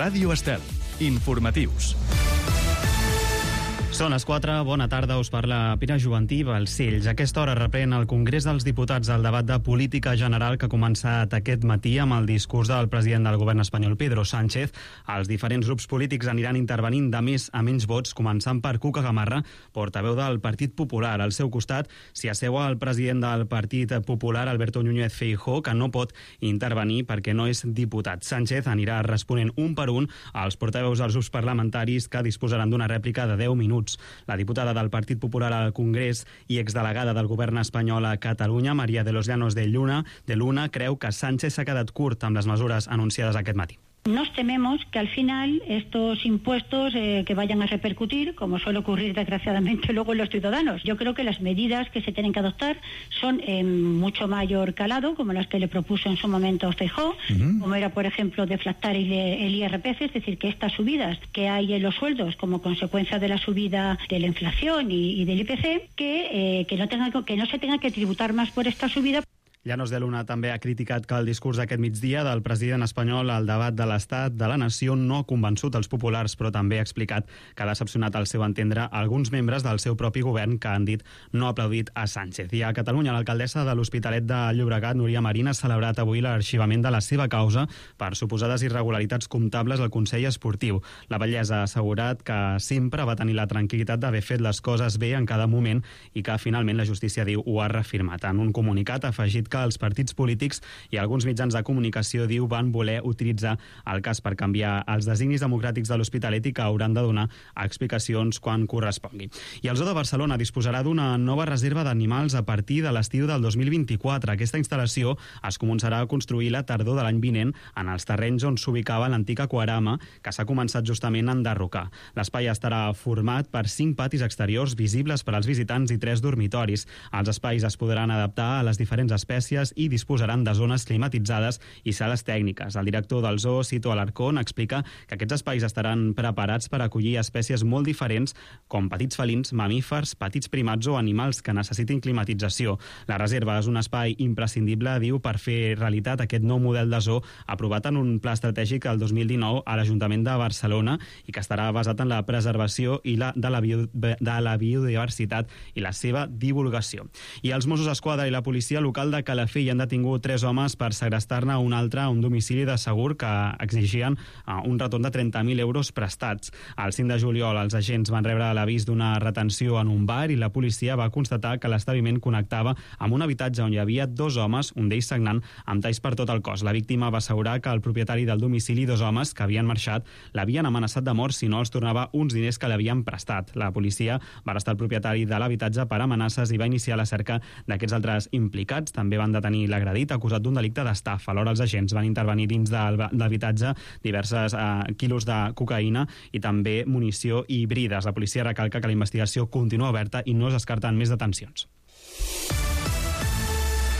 Ràdio Estel. Informatius. Són les 4, bona tarda, us parla Pere Juvantí, Balcells. A aquesta hora reprèn el Congrés dels Diputats el debat de política general que ha començat aquest matí amb el discurs del president del govern espanyol, Pedro Sánchez. Els diferents grups polítics aniran intervenint de més a menys vots, començant per Cuca Gamarra, portaveu del Partit Popular. Al seu costat s'hi asseu el president del Partit Popular, Alberto Núñez Feijóo, que no pot intervenir perquè no és diputat. Sánchez anirà responent un per un als portaveus dels grups parlamentaris, que disposaran d'una rèplica de 10 minuts. La diputada del Partit Popular al Congrés i exdelegada del govern espanyol a Catalunya, María de los Llanos de Luna, creu que Sánchez s'ha quedat curt amb les mesures anunciades aquest matí. Nos tememos que al final estos impuestos que vayan a repercutir, como suele ocurrir desgraciadamente luego en los ciudadanos. Yo creo que las medidas que se tienen que adoptar son mucho mayor calado, como las que le propuso en su momento Feijóo, como era, por ejemplo, deflactar el IRPF, es decir, que estas subidas que hay en los sueldos como consecuencia de la subida de la inflación y del IPC, que no se tenga que tributar más por esta subida. Llanos de Luna també ha criticat que el discurs d'aquest migdia del president espanyol al debat de l'Estat de la Nació no ha convençut els populars, però també ha explicat que ha decepcionat al seu entendre alguns membres del seu propi govern que han dit no aplaudit a Sánchez. I a Catalunya, l'alcaldessa de l'Hospitalet de Llobregat, Núria Marín, ha celebrat avui l'arxivament de la seva causa per suposades irregularitats comptables al Consell Esportiu. La batllessa ha assegurat que sempre va tenir la tranquil·litat d'haver fet les coses bé en cada moment i que finalment la justícia, diu, ho ha reafirmat. En un comunicat ha afegit que els partits polítics i alguns mitjans de comunicació, diu, van voler utilitzar el cas per canviar els designis democràtics de l'Hospitalet i que hauran de donar explicacions quan correspongui. I el Zoo de Barcelona disposarà d'una nova reserva d'animals a partir de l'estiu del 2024. Aquesta instal·lació es començarà a construir la tardor de l'any vinent en els terrenys on s'ubicava l'antic aquarama, que s'ha començat justament a enderrocar. L'espai estarà format per 5 patis exteriors visibles per als visitants i 3 dormitoris. Els espais es podran adaptar a les diferents espècies i disposaran de zones climatitzades i sales tècniques. El director del zoo, Sito Alarcón, explica que aquests espais estaran preparats per acollir espècies molt diferents, com petits felins, mamífers, petits primats o animals que necessitin climatització. La reserva és un espai imprescindible, diu, per fer realitat aquest nou model de zoo aprovat en un pla estratègic el 2019 a l'Ajuntament de Barcelona i que estarà basat en la preservació i de la biodiversitat i la seva divulgació. I els Mossos d'Esquadra i la policia local de Calafell han detingut 3 homes per segrestar-ne un altre a un domicili de Segur que exigien un retorn de 30.000 euros prestats. El 5 de juliol els agents van rebre l'avís d'una retenció en un bar i la policia va constatar que l'establiment connectava amb un habitatge on hi havia 2 homes, un d'ells sagnant, amb talls per tot el cos. La víctima va assegurar que el propietari del domicili, 2 homes que havien marxat, l'havien amenaçat de mort si no els tornava uns diners que l'havien prestat. La policia va arrestar el propietari de l'habitatge per amenaces i va iniciar la cerca d'aquests altres implicats. També van detenir l'agredit acusat d'un delicte d'estafa. Alhora els agents van intervenir dins de l'habitatge diverses quilos de cocaïna i també munició i brides. La policia recalca que la investigació continua oberta i no es descarten més detencions.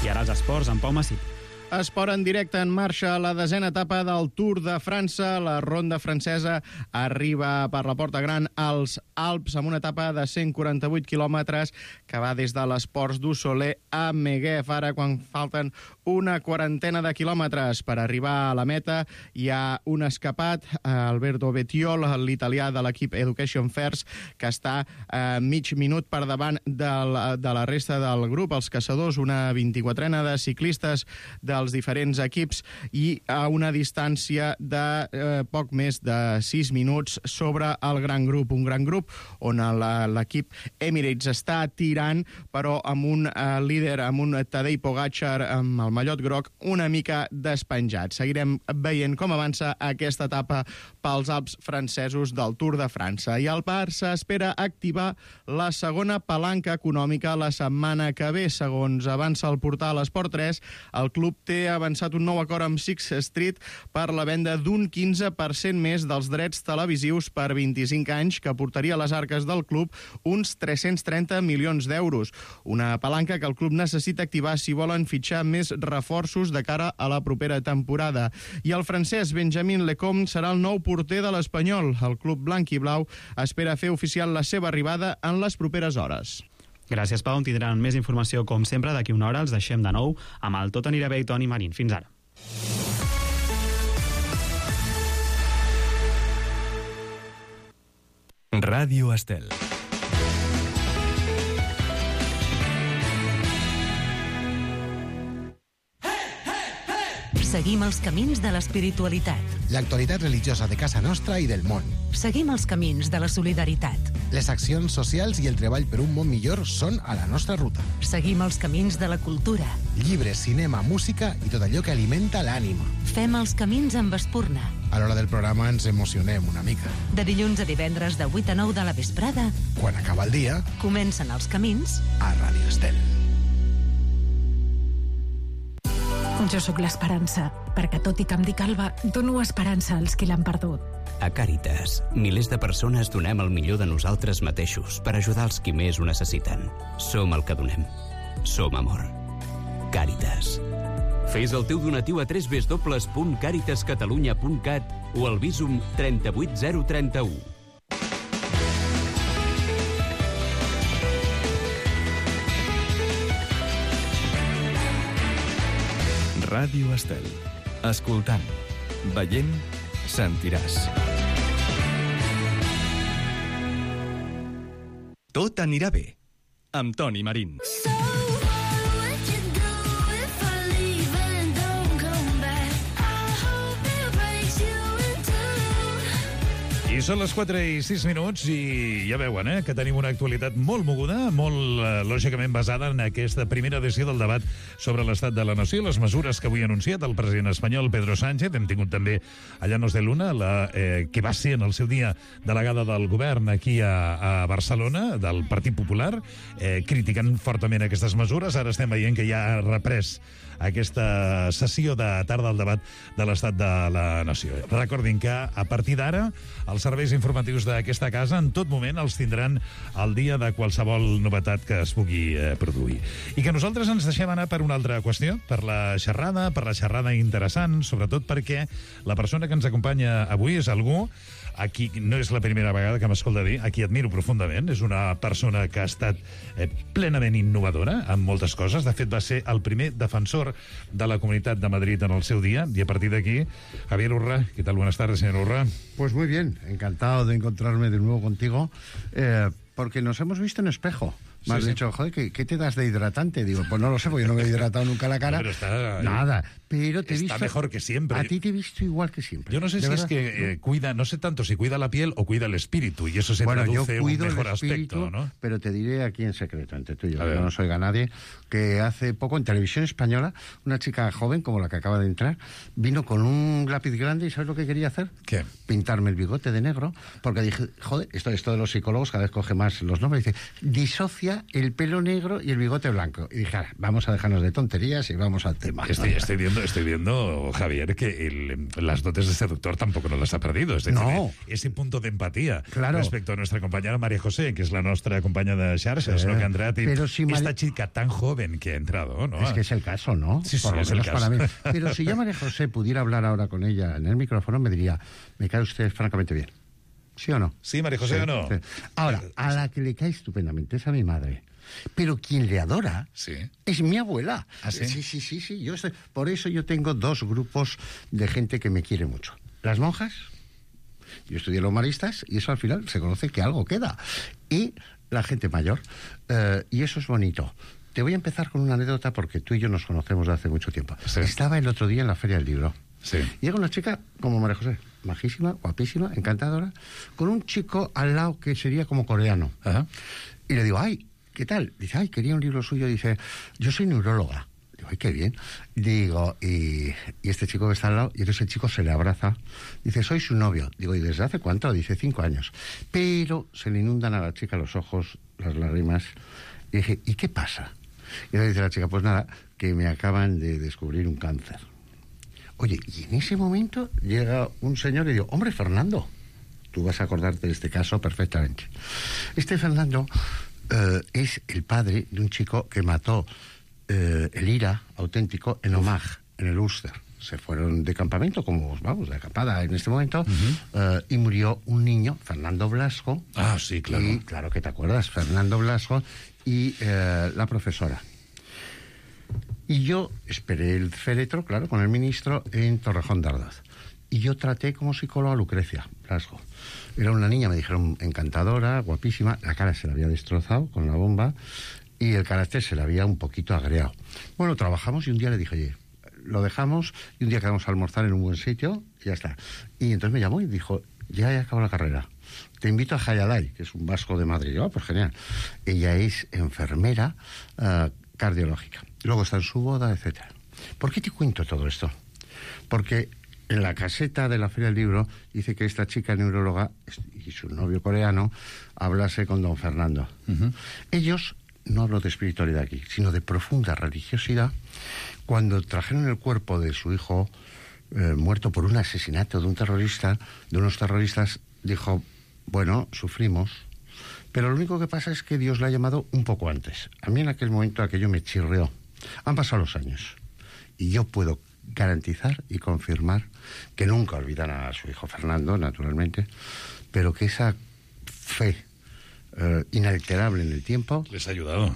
I ara els esports, amb Pau Massip. Esport en directe, en marxa la 10a etapa del Tour de França. La ronda francesa arriba per la Porta Gran als Alps amb una etapa de 148 quilòmetres que va des de les Ports du Soleil a Meguef. Ara, quan falten una quarantena de quilòmetres per arribar a la meta, hi ha un escapat, Alberto Bettiol, l'italià de l'equip Education First, que està mig minut per davant de la resta del grup, els caçadors, una 24ena de ciclistes dels diferents equips i a una distància de poc més de 6 minuts sobre el gran grup. Un gran grup on l'equip Emirates està tirant, però amb un líder, amb un Tadej Pogačar amb el mallot groc una mica despenjat. Seguirem veient com avança aquesta etapa pels Alps francesos del Tour de França. I el Barça espera activar la segona palanca econòmica la setmana que ve. Segons avança el portal Esport 3, el club té avançat un nou acord amb Sixth Street per la venda d'un 15% més dels drets televisius per 25 anys, que portaria a les arques del club uns 330 milions d'euros. Una palanca que el club necessita activar si volen fitxar més reforços de cara a la propera temporada. I el francès Benjamin Lecomte serà el nou porter de l'Espanyol. El club blanc i blau espera fer oficial la seva arribada en les properes hores. Gràcies, Pau. Tindran més informació, com sempre, d'aquí una hora. Els deixem de nou amb el Tot anirà bé i Toni Marín. Fins ara. Ràdio Estel. Seguim els camins de l'espiritualitat. L'actualitat religiosa de casa nostra i del món. Seguim els camins de la solidaritat. Les accions socials i el treball per un món millor són a la nostra ruta. Seguim els camins de la cultura. Llibres, cinema, música i tot allò que alimenta l'ànima. Fem els camins amb espurna. A l'hora del programa ens emocionem una mica. De dilluns a divendres de 8 a 9 de la vesprada. Quan acaba el dia, Comencen els camins a Ràdio Estel. Jo sóc l'esperança, perquè tot i que em dic Alba, dono esperança als qui l'han perdut. A Càritas, milers de persones donem el millor de nosaltres mateixos per ajudar els qui més ho necessiten. Som el que donem. Som amor. Càritas. Fes el teu donatiu a www.caritascatalunya.cat o al Bizum 38031. Ràdio Estel. Escoltant, veient, sentiràs. Tot anirà bé, amb Toni Marín. I són les 4:06 i ja veuen que tenim una actualitat molt moguda, molt lògicament basada en aquesta primera edició del debat sobre l'estat de la nació i les mesures que avui ha anunciat el president espanyol Pedro Sánchez. Hem tingut també a Llanos de Luna, que va ser en el seu dia delegada del govern aquí a Barcelona, del Partit Popular, criticant fortament aquestes mesures. Ara estem veient que ja ha reprès aquesta sessió de tarda al debat de l'estat de la nació. Recordin que a partir d'ara els serveis informatius d'aquesta casa en tot moment els tindran al dia de qualsevol novetat que es pugui produir. I que nosaltres ens deixem anar per una altra qüestió, per la xerrada interessant, sobretot perquè la persona que ens acompanya avui és algú a qui no és la primera vegada que m'escolta dir, a qui admiro profundament. És una persona que ha estat plenament innovadora en moltes coses. De fet, va ser el primer defensor de la Comunitat de Madrid en el seu dia. Y a partir de aquí, Javier Urra. ¿Qué tal? Buenas tardes, señor Urra. Pues muy bien. Encantado de encontrarme de nuevo contigo, porque nos hemos visto en espejo. Me has dicho, joder, ¿qué te das de hidratante? Digo, pues no lo sé, porque yo no me he hidratado nunca la cara. No, pero está, nada, pero te he está visto... mejor que siempre. A ti te he visto igual que siempre. Yo no sé si es que cuida, no sé tanto si cuida la piel o cuida el espíritu, y eso se traduce en un mejor aspecto, ¿no? Pero te diré aquí en secreto, entre tú y yo, no nos oiga nadie, que hace poco en Televisión Española, una chica joven, como la que acaba de entrar, vino con un lápiz grande y ¿sabes lo que quería hacer? ¿Qué? Pintarme el bigote de negro, porque dije, joder, esto de los psicólogos cada vez coge más los nombres, dice, disocia el pelo negro y el bigote blanco. Y dije, vamos a dejarnos de tonterías y vamos al tema. Estoy viendo, Javier, que las dotes de seductor tampoco nos las ha perdido. Es decir, ese punto de empatía respecto a nuestra compañera María José, que es la nuestra compañera de Xarxes, ¿no? Que ha entrado, pero si esta chica tan joven que ha entrado, ¿no? Es que es el caso, ¿no? Sí, por lo es el menos caso. Para mí. Pero si yo, María José, pudiera hablar ahora con ella en el micrófono, me diría, me cae usted francamente bien. ¿Sí o no? Sí, María José, ¿o no? Sí. Ahora, a la que le cae estupendamente es a mi madre. Pero quien le adora es mi abuela. ¿Ah, sí? Sí. Por eso yo tengo dos grupos de gente que me quiere mucho. Las monjas, yo estudié los maristas, y eso al final se conoce que algo queda. Y la gente mayor. Y eso es bonito. Te voy a empezar con una anécdota porque tú y yo nos conocemos de hace mucho tiempo. Sí. Estaba el otro día en la Feria del Libro. Sí. Llega una chica como María José, majísima, guapísima, encantadora, con un chico al lado que sería como coreano. Ajá. Y le digo, ay, ¿qué tal? Dice, ay, quería un libro suyo. Dice, yo soy neuróloga. Digo, ay, qué bien. Digo, y este chico que está al lado, y entonces el chico se le abraza. Dice, soy su novio. Digo, ¿y desde hace cuánto? Dice, 5 años. Pero se le inundan a la chica los ojos, las lágrimas. Y dije, ¿y qué pasa? Y le dice la chica, pues nada, que me acaban de descubrir un cáncer. Oye, y en ese momento llega un señor y digo, hombre, Fernando, tú vas a acordarte de este caso perfectamente. Este Fernando es el padre de un chico que mató el IRA auténtico en Omagh, en el Ulster. Se fueron de campamento, como vamos, de acampada en este momento, y murió un niño, Fernando Blasco. Ah, sí, claro. Y, claro que te acuerdas, Fernando Blasco y la profesora. Y yo esperé el féretro, claro, con el ministro en Torrejón de Ardoz. Y yo traté como psicólogo a Lucrecia Blasco. Era una niña, me dijeron, encantadora, guapísima, la cara se la había destrozado con la bomba y el carácter se le había un poquito agriado. Bueno, trabajamos y un día le dije, oye, lo dejamos y un día quedamos a almorzar en un buen sitio y ya está. Y entonces me llamó y dijo, ya he acabado la carrera. Te invito a Jayalay, que es un vasco de Madrid. Oh, pues genial. Ella es enfermera cardiológica. Luego está en su boda, etcétera. ¿Por qué te cuento todo esto? Porque en la caseta de la Feria del Libro dice que esta chica neuróloga y su novio coreano hablase con don Fernando. Ellos, no hablo de espiritualidad aquí, sino de profunda religiosidad, cuando trajeron el cuerpo de su hijo muerto por un asesinato de un terrorista, de unos terroristas, dijo, bueno, sufrimos, pero lo único que pasa es que Dios la ha llamado un poco antes. A mí en aquel momento aquello me chirrió. Han pasado los años y yo puedo garantizar y confirmar que nunca olvidará a su hijo Fernando, naturalmente, pero que esa fe inalterable en el tiempo les ha ayudado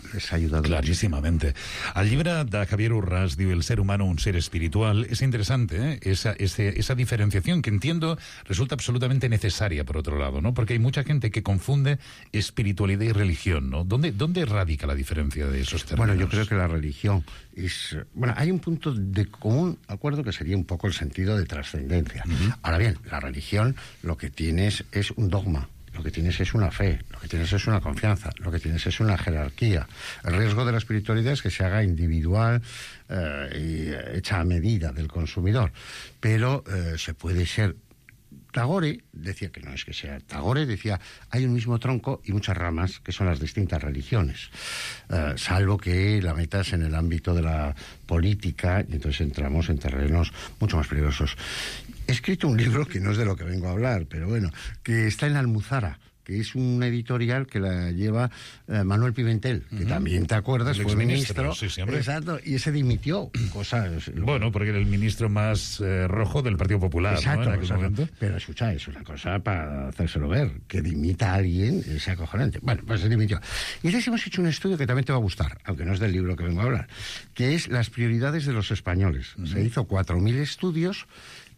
claríssimamente. El llibre de Javier Urràs diu El ser humano, un ser espiritual. Es interesante, esa diferenciación que entiendo resulta absolutamente necesaria, por otro lado, ¿no? Porque hay mucha gente que confunde espiritualidad y religión, ¿no? ¿Dónde radica la diferencia de esos términos? Bueno, yo creo que la religión es... Bueno, hay un punto de común acuerdo que sería un poco el sentido de trascendencia. Ahora bien, la religión lo que tienes es un dogma. Lo que tienes es una fe, lo que tienes es una confianza, lo que tienes es una jerarquía. El riesgo de la espiritualidad es que se haga individual y hecha a medida del consumidor. Pero se puede ser... Tagore decía que no es que sea... Tagore decía, hay un mismo tronco y muchas ramas, que son las distintas religiones. Salvo que la metas en el ámbito de la política, y entonces entramos en terrenos mucho más peligrosos. He escrito un libro que no es de lo que vengo a hablar, pero bueno, que está en la Almuzara, que es una editorial que la lleva Manuel Pimentel, que también, ¿te acuerdas? Fue ministro. Sí, siempre. Exacto, y ese dimitió. Bueno, porque era el ministro más rojo del Partido Popular. Exacto, ¿no? En aquel momento. Pero escucha, es una cosa para hacérselo ver. Que dimita a alguien es acojonante. Bueno, pues se dimitió. Y entonces hemos hecho un estudio que también te va a gustar, aunque no es del libro que vengo a hablar, que es las prioridades de los españoles. Se hizo 4.000 estudios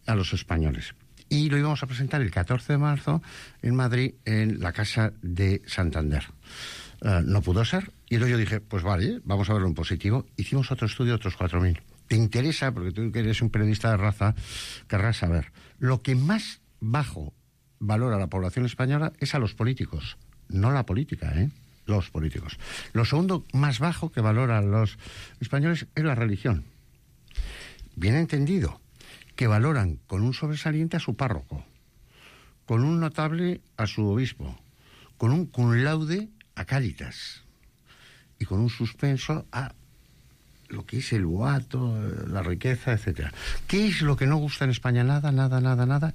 a los españoles. Y lo íbamos a presentar el 14 de marzo en Madrid, en la Casa de Santander. No pudo ser, y entonces yo dije, pues vale, vamos a verlo en positivo. Hicimos otro estudio, otros 4.000. ¿Te interesa? Porque tú que eres un periodista de raza, querrás saber. Lo que más bajo valora la población española es a los políticos, no la política, los políticos. Lo segundo más bajo que valora a los españoles es la religión. Bien entendido, que valoran con un sobresaliente a su párroco, con un notable a su obispo, con un cum laude a Cáritas y con un suspenso a lo que es el boato, la riqueza, etcétera. ¿Qué es lo que no gusta en España? Nada.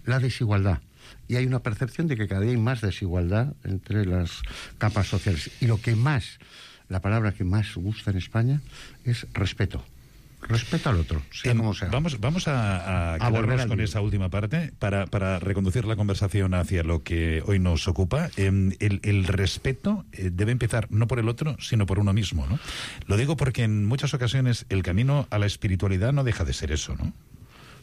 La desigualdad. Y hay una percepción de que cada día hay más desigualdad entre las capas sociales. Y lo que más, la palabra que más gusta en España es respeto. Respeto al otro, sea como sea. Vamos a quedarnos con esa última parte para reconducir la conversación hacia lo que hoy nos ocupa. El respeto debe empezar no por el otro, sino por uno mismo, ¿no? Lo digo porque en muchas ocasiones el camino a la espiritualidad no deja de ser eso, ¿no?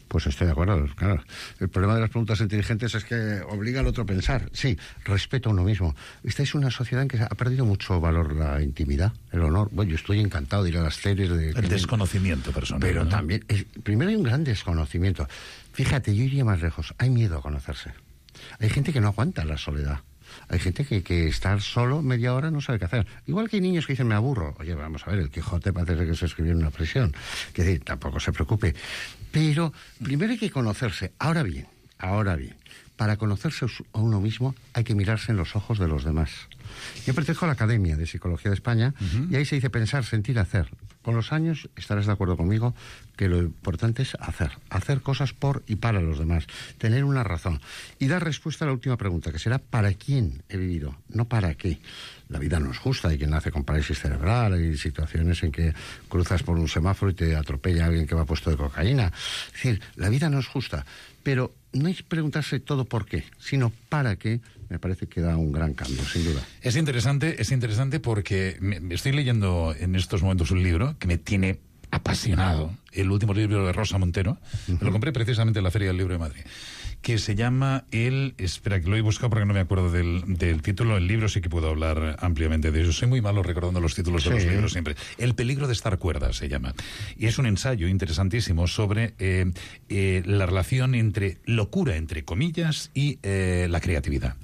Pues estoy de acuerdo, claro. El problema de las preguntas inteligentes es que obliga al otro a pensar. Sí, respeto a uno mismo. Esta es una sociedad en que ha perdido mucho valor la intimidad, el honor. Bueno, yo estoy encantado de ir a las series de... El desconocimiento personal. Pero ¿no? También, primero hay un gran desconocimiento. Fíjate, yo iría más lejos. Hay miedo a conocerse. Hay gente que no aguanta la soledad. Hay gente que estar solo media hora no sabe qué hacer. Igual que hay niños que dicen, me aburro. Oye, vamos a ver, el Quijote parece que se escribió en una prisión. Que decir, tampoco se preocupe. Pero primero hay que conocerse. Ahora bien, para conocerse a uno mismo hay que mirarse en los ojos de los demás. Yo pertenezco a la Academia de Psicología de España y ahí se dice pensar, sentir, hacer. Con los años estarás de acuerdo conmigo que lo importante es hacer cosas por y para los demás, tener una razón y dar respuesta a la última pregunta, que será ¿para quién he vivido? No para qué. La vida no es justa, hay quien nace con parálisis cerebral, hay situaciones en que cruzas por un semáforo y te atropella alguien que va puesto de cocaína. Es decir, la vida no es justa, pero no hay que preguntarse todo por qué, sino para qué. Me parece que da un gran cambio, sin duda. Es interesante porque me estoy leyendo en estos momentos un libro que me tiene apasionado, el último libro de Rosa Montero, me lo compré precisamente en la Feria del Libro de Madrid, que se llama espera, que lo he buscado porque no me acuerdo del título. El libro sí que puedo hablar ampliamente de eso. Soy muy malo recordando los títulos de los libros siempre. El peligro de estar cuerda se llama. Y es un ensayo interesantísimo sobre la relación entre locura, entre comillas, y la creatividad.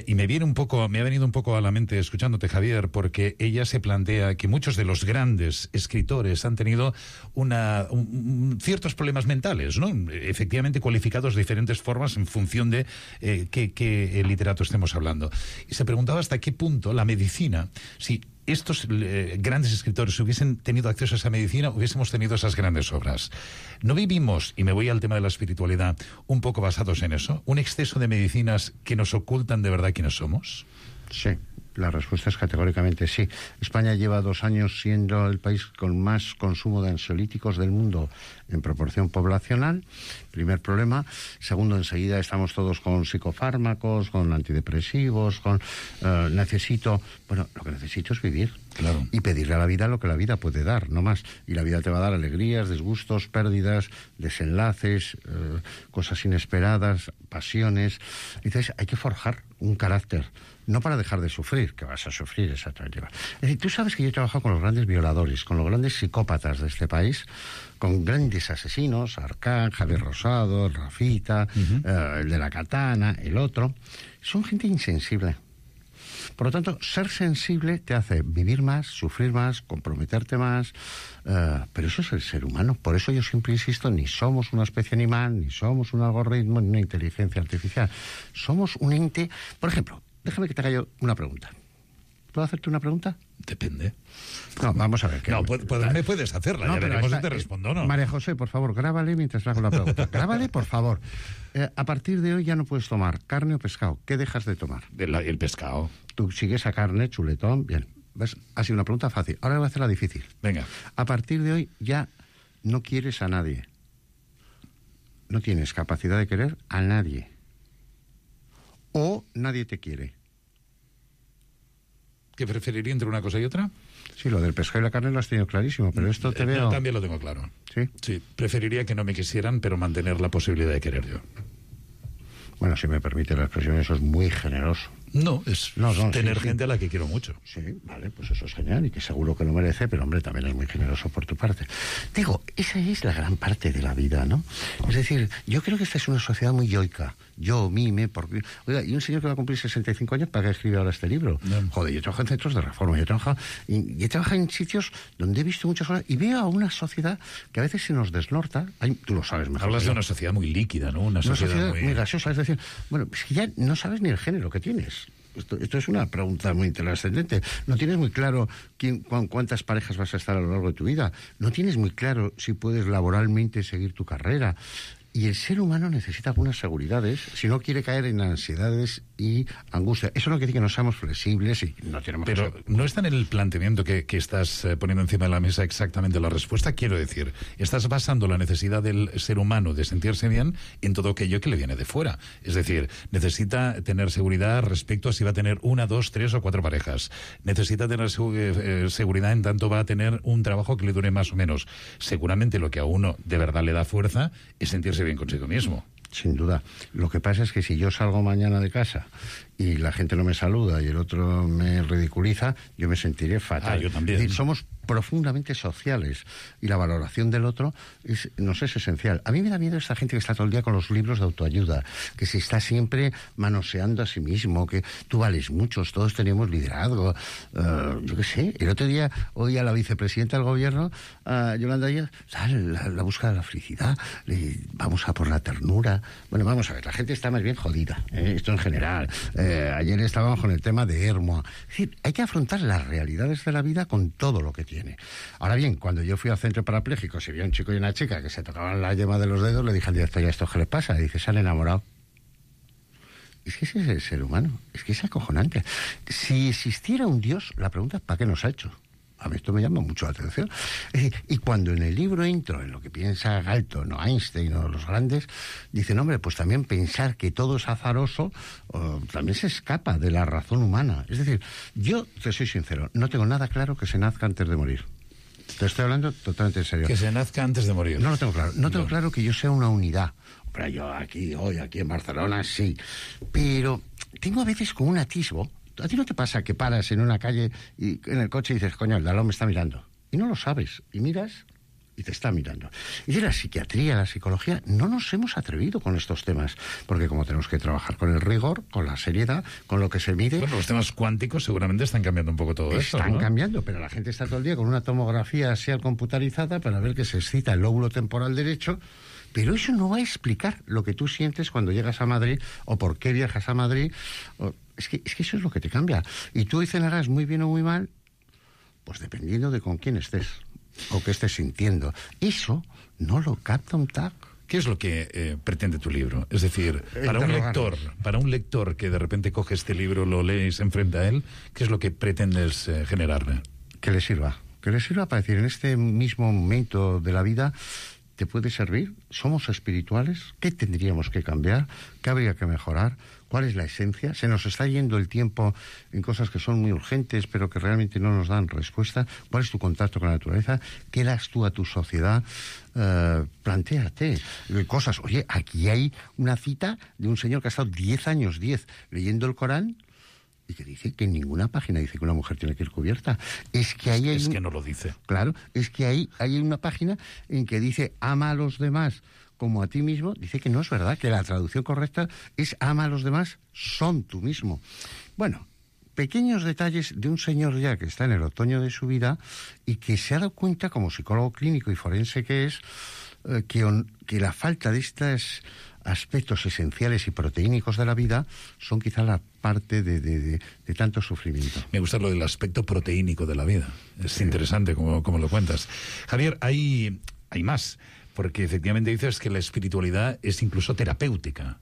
Y me ha venido un poco a la mente escuchándote, Javier, porque ella se plantea que muchos de los grandes escritores han tenido ciertos problemas mentales, ¿no? Efectivamente cualificados de diferentes formas en función de qué literato estemos hablando. Y se preguntaba hasta qué punto la medicina, si estos grandes escritores hubiesen tenido acceso a esa medicina, hubiésemos tenido esas grandes obras. ¿No vivimos, y me voy al tema de la espiritualidad, un poco basados en eso? ¿Un exceso de medicinas que nos ocultan de verdad quiénes somos? Sí, la respuesta es categóricamente sí. España lleva 2 años siendo el país con más consumo de ansiolíticos del mundo en proporción poblacional. Primer problema. Segundo, enseguida estamos todos con psicofármacos, con antidepresivos, con lo que necesito es vivir. Claro. Y pedirle a la vida lo que la vida puede dar, no más. Y la vida te va a dar alegrías, disgustos, pérdidas, desenlaces, cosas inesperadas, pasiones. Entonces hay que forjar un carácter, no para dejar de sufrir, que vas a sufrir exactamente. Es decir, tú sabes que yo he trabajado con los grandes violadores, con los grandes psicópatas de este país, con grandes asesinos, Arcán, Javier Rosado, el Rafita, el de la katana, el otro. Son gente insensible. Por lo tanto, ser sensible te hace vivir más, sufrir más, comprometerte más, pero eso es el ser humano. Por eso yo siempre insisto, ni somos una especie animal, ni somos un algoritmo, ni una inteligencia artificial. Somos un ente. Por ejemplo, déjame que te haga yo una pregunta. ¿Puedo hacerte una pregunta? Depende. No, vamos a ver. No, me puedes hacerla, ya veremos si te respondo o no. María José, por favor, grábale mientras le hago la pregunta. Grábale, por favor. A partir de hoy ya no puedes tomar carne o pescado. ¿Qué dejas de tomar? El pescado. Tú sigues a carne, chuletón, bien. ¿Ves? Ha sido una pregunta fácil. Ahora voy a hacer la difícil. Venga. A partir de hoy ya no quieres a nadie. No tienes capacidad de querer a nadie. O nadie te quiere. ¿Qué preferiría entre una cosa y otra? Sí, lo del pescado y la carne lo has tenido clarísimo, pero esto te veo... También lo tengo claro. ¿Sí? Sí, preferiría que no me quisieran, pero mantener la posibilidad de querer yo. Bueno, si me permite la expresión, eso es muy generoso. No, es tener gente a la que quiero mucho. Sí, vale, pues eso es genial y que seguro que lo merece, pero hombre, también es muy generoso por tu parte. Digo, esa es la gran parte de la vida, ¿no? Es decir, yo creo que esta es una sociedad muy yoica. Yo, mime, porque... Oiga, y un señor que va a cumplir 65 años, ¿para qué escribe ahora este libro? No. Joder, yo trabajo en centros de reforma, yo he trabajado en sitios donde he visto muchas cosas y veo a una sociedad que a veces se nos desnorta. Tú lo sabes mejor. Hablas de una sociedad muy líquida, ¿no? Una sociedad muy gaseosa, es decir, bueno, es que ya no sabes ni el género que tienes. Esto es una pregunta muy trascendente. No tienes muy claro cuántas parejas vas a estar a lo largo de tu vida. No tienes muy claro si puedes laboralmente seguir tu carrera. Y el ser humano necesita algunas seguridades si no quiere caer en ansiedades y angustia. Eso no quiere decir que no seamos flexibles y no tenemos... Pero no está en el planteamiento que estás poniendo encima de la mesa exactamente la respuesta. Quiero decir, estás basando la necesidad del ser humano de sentirse bien en todo aquello que le viene de fuera. Es decir, necesita tener seguridad respecto a si va a tener 1, 2, 3 o 4 parejas. Necesita tener seguridad en tanto va a tener un trabajo que le dure más o menos. Seguramente lo que a uno de verdad le da fuerza es sentirse bien consigo mismo. Sin duda. Lo que pasa es que si yo salgo mañana de casa y la gente no me saluda y el otro me ridiculiza, yo me sentiré fatal. Yo también. Es decir, somos profundamente sociales y la valoración del otro nos es esencial. A mí me da miedo esta gente que está todo el día con los libros de autoayuda, que se está siempre manoseando a sí mismo, que tú vales mucho, todos tenemos liderazgo. Yo qué sé, el otro día oí a la vicepresidenta del gobierno, Yolanda Díaz, la búsqueda de la felicidad, vamos a por la ternura. Bueno, vamos a ver, la gente está más bien jodida, esto en general. Ayer estábamos con el tema de Hermoa. Es decir, hay que afrontar las realidades de la vida con todo lo que tiene. Ahora bien, cuando yo fui al centro parapléjico, si había un chico y una chica que se tocaban la yema de los dedos, le dije al director, ¿y a esto qué le pasa? Y dice, se han enamorado. Es que ese es el ser humano, es que es acojonante. Si existiera un Dios, la pregunta es ¿para qué nos ha hecho? A mí esto me llama mucho la atención. Y cuando en el libro entro en lo que piensa Galton o Einstein o los grandes, dicen, hombre, pues también pensar que todo es azaroso también se escapa de la razón humana. Es decir, yo te soy sincero, no tengo nada claro que se nazca antes de morir. Te estoy hablando totalmente en serio. Que se nazca antes de morir. No lo tengo claro. No tengo claro que yo sea una unidad. Pero yo aquí, hoy, aquí en Barcelona, sí. Pero tengo a veces como un atisbo. ¿A ti no te pasa que paras en una calle y en el coche y dices, coño, el de al lado me está mirando? Y no lo sabes. Y miras y te está mirando. Y de la psiquiatría, la psicología, no nos hemos atrevido con estos temas, porque como tenemos que trabajar con el rigor, con la seriedad, con lo que se mide... Bueno, los temas cuánticos seguramente están cambiando un poco todo esto, ¿no? Están cambiando, pero la gente está todo el día con una tomografía así computarizada para ver que se excita el lóbulo temporal derecho, pero eso no va a explicar lo que tú sientes cuando llegas a Madrid, o por qué viajas a Madrid. Es que eso es lo que te cambia. Y tú cenarás muy bien o muy mal, pues dependiendo de con quién estés o qué estés sintiendo. Eso no lo capta un TAC. ¿Qué es lo que pretende tu libro? Es decir, para un lector que de repente coge este libro, lo lee y se enfrenta a él, ¿qué es lo que pretendes generarle? Que le sirva para decir, en este mismo momento de la vida te puede servir. Somos espirituales. ¿Qué tendríamos que cambiar? ¿Qué habría que mejorar? ¿Cuál es la esencia? Se nos está yendo el tiempo en cosas que son muy urgentes, pero que realmente no nos dan respuesta. ¿Cuál es tu contacto con la naturaleza? ¿Qué das tú a tu sociedad? Plantéate cosas. Oye, aquí hay una cita de un señor que ha estado 10 años leyendo el Corán, y que dice que en ninguna página dice que una mujer tiene que ir cubierta. Es que ahí es que no lo dice. Claro, es que ahí hay una página en que dice ama a los demás como a ti mismo. Dice que no es verdad, que la traducción correcta es ama a los demás, son tú mismo. Bueno, pequeños detalles de un señor ya que está en el otoño de su vida y que se ha dado cuenta, como psicólogo clínico y forense que es, que la falta de estos aspectos esenciales y proteínicos de la vida son quizá la parte de tanto sufrimiento. Me gusta lo del aspecto proteínico de la vida. Es interesante como lo cuentas. Javier, hay más, porque efectivamente dices que la espiritualidad es incluso terapéutica.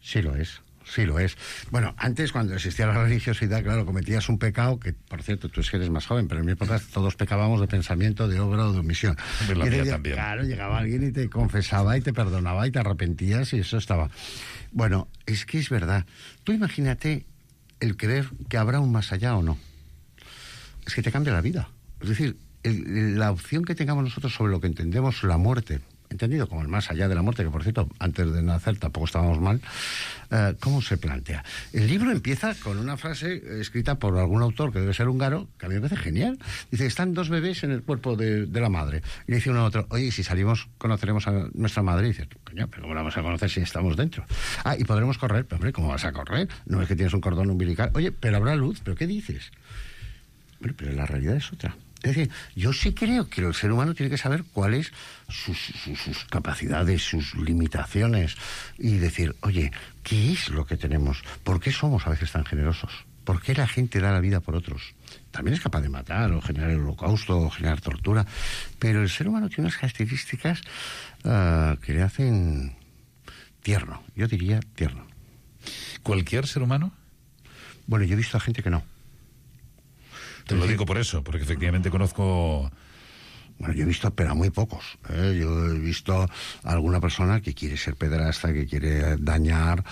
Sí lo es. Sí lo es. Bueno, antes cuando existía la religiosidad, claro, cometías un pecado que, por cierto, tú eres más joven, pero en mi época todos pecábamos de pensamiento, de obra o de omisión. La mía también. Claro, llegaba alguien y te confesaba y te perdonaba y te arrepentías y eso estaba. Bueno, es que es verdad. Tú imagínate el creer que habrá un más allá o no. Es que te cambia la vida. Es decir, la opción que tengamos nosotros sobre lo que entendemos la muerte, entendido como el más allá de la muerte, que por cierto, antes de nacer tampoco estábamos mal, ¿cómo se plantea? El libro empieza con una frase escrita por algún autor que debe ser húngaro, que a mí me parece genial. Dice, están dos bebés en el cuerpo de la madre. Y le dice uno a otro, oye, si salimos, conoceremos a nuestra madre. Y dice, coño, pero ¿cómo la vamos a conocer si estamos dentro? Ah, y podremos correr. Pero hombre, ¿cómo vas a correr? No es que tienes un cordón umbilical. Oye, pero habrá luz. ¿Pero qué dices? Bueno, pero la realidad es otra. Es decir, yo sí creo que el ser humano tiene que saber cuáles sus capacidades, sus limitaciones, y decir, oye, ¿qué es lo que tenemos? ¿Por qué somos a veces tan generosos? ¿Por qué la gente da la vida por otros? También es capaz de matar, o generar el holocausto, o generar tortura, pero el ser humano tiene unas características que le hacen tierno, yo diría tierno. ¿Cualquier ser humano? Bueno, yo he visto a gente que no. Te lo digo por eso, porque efectivamente conozco... Bueno, yo he visto, pero a muy pocos. Yo he visto a alguna persona que quiere ser pederasta, que quiere dañar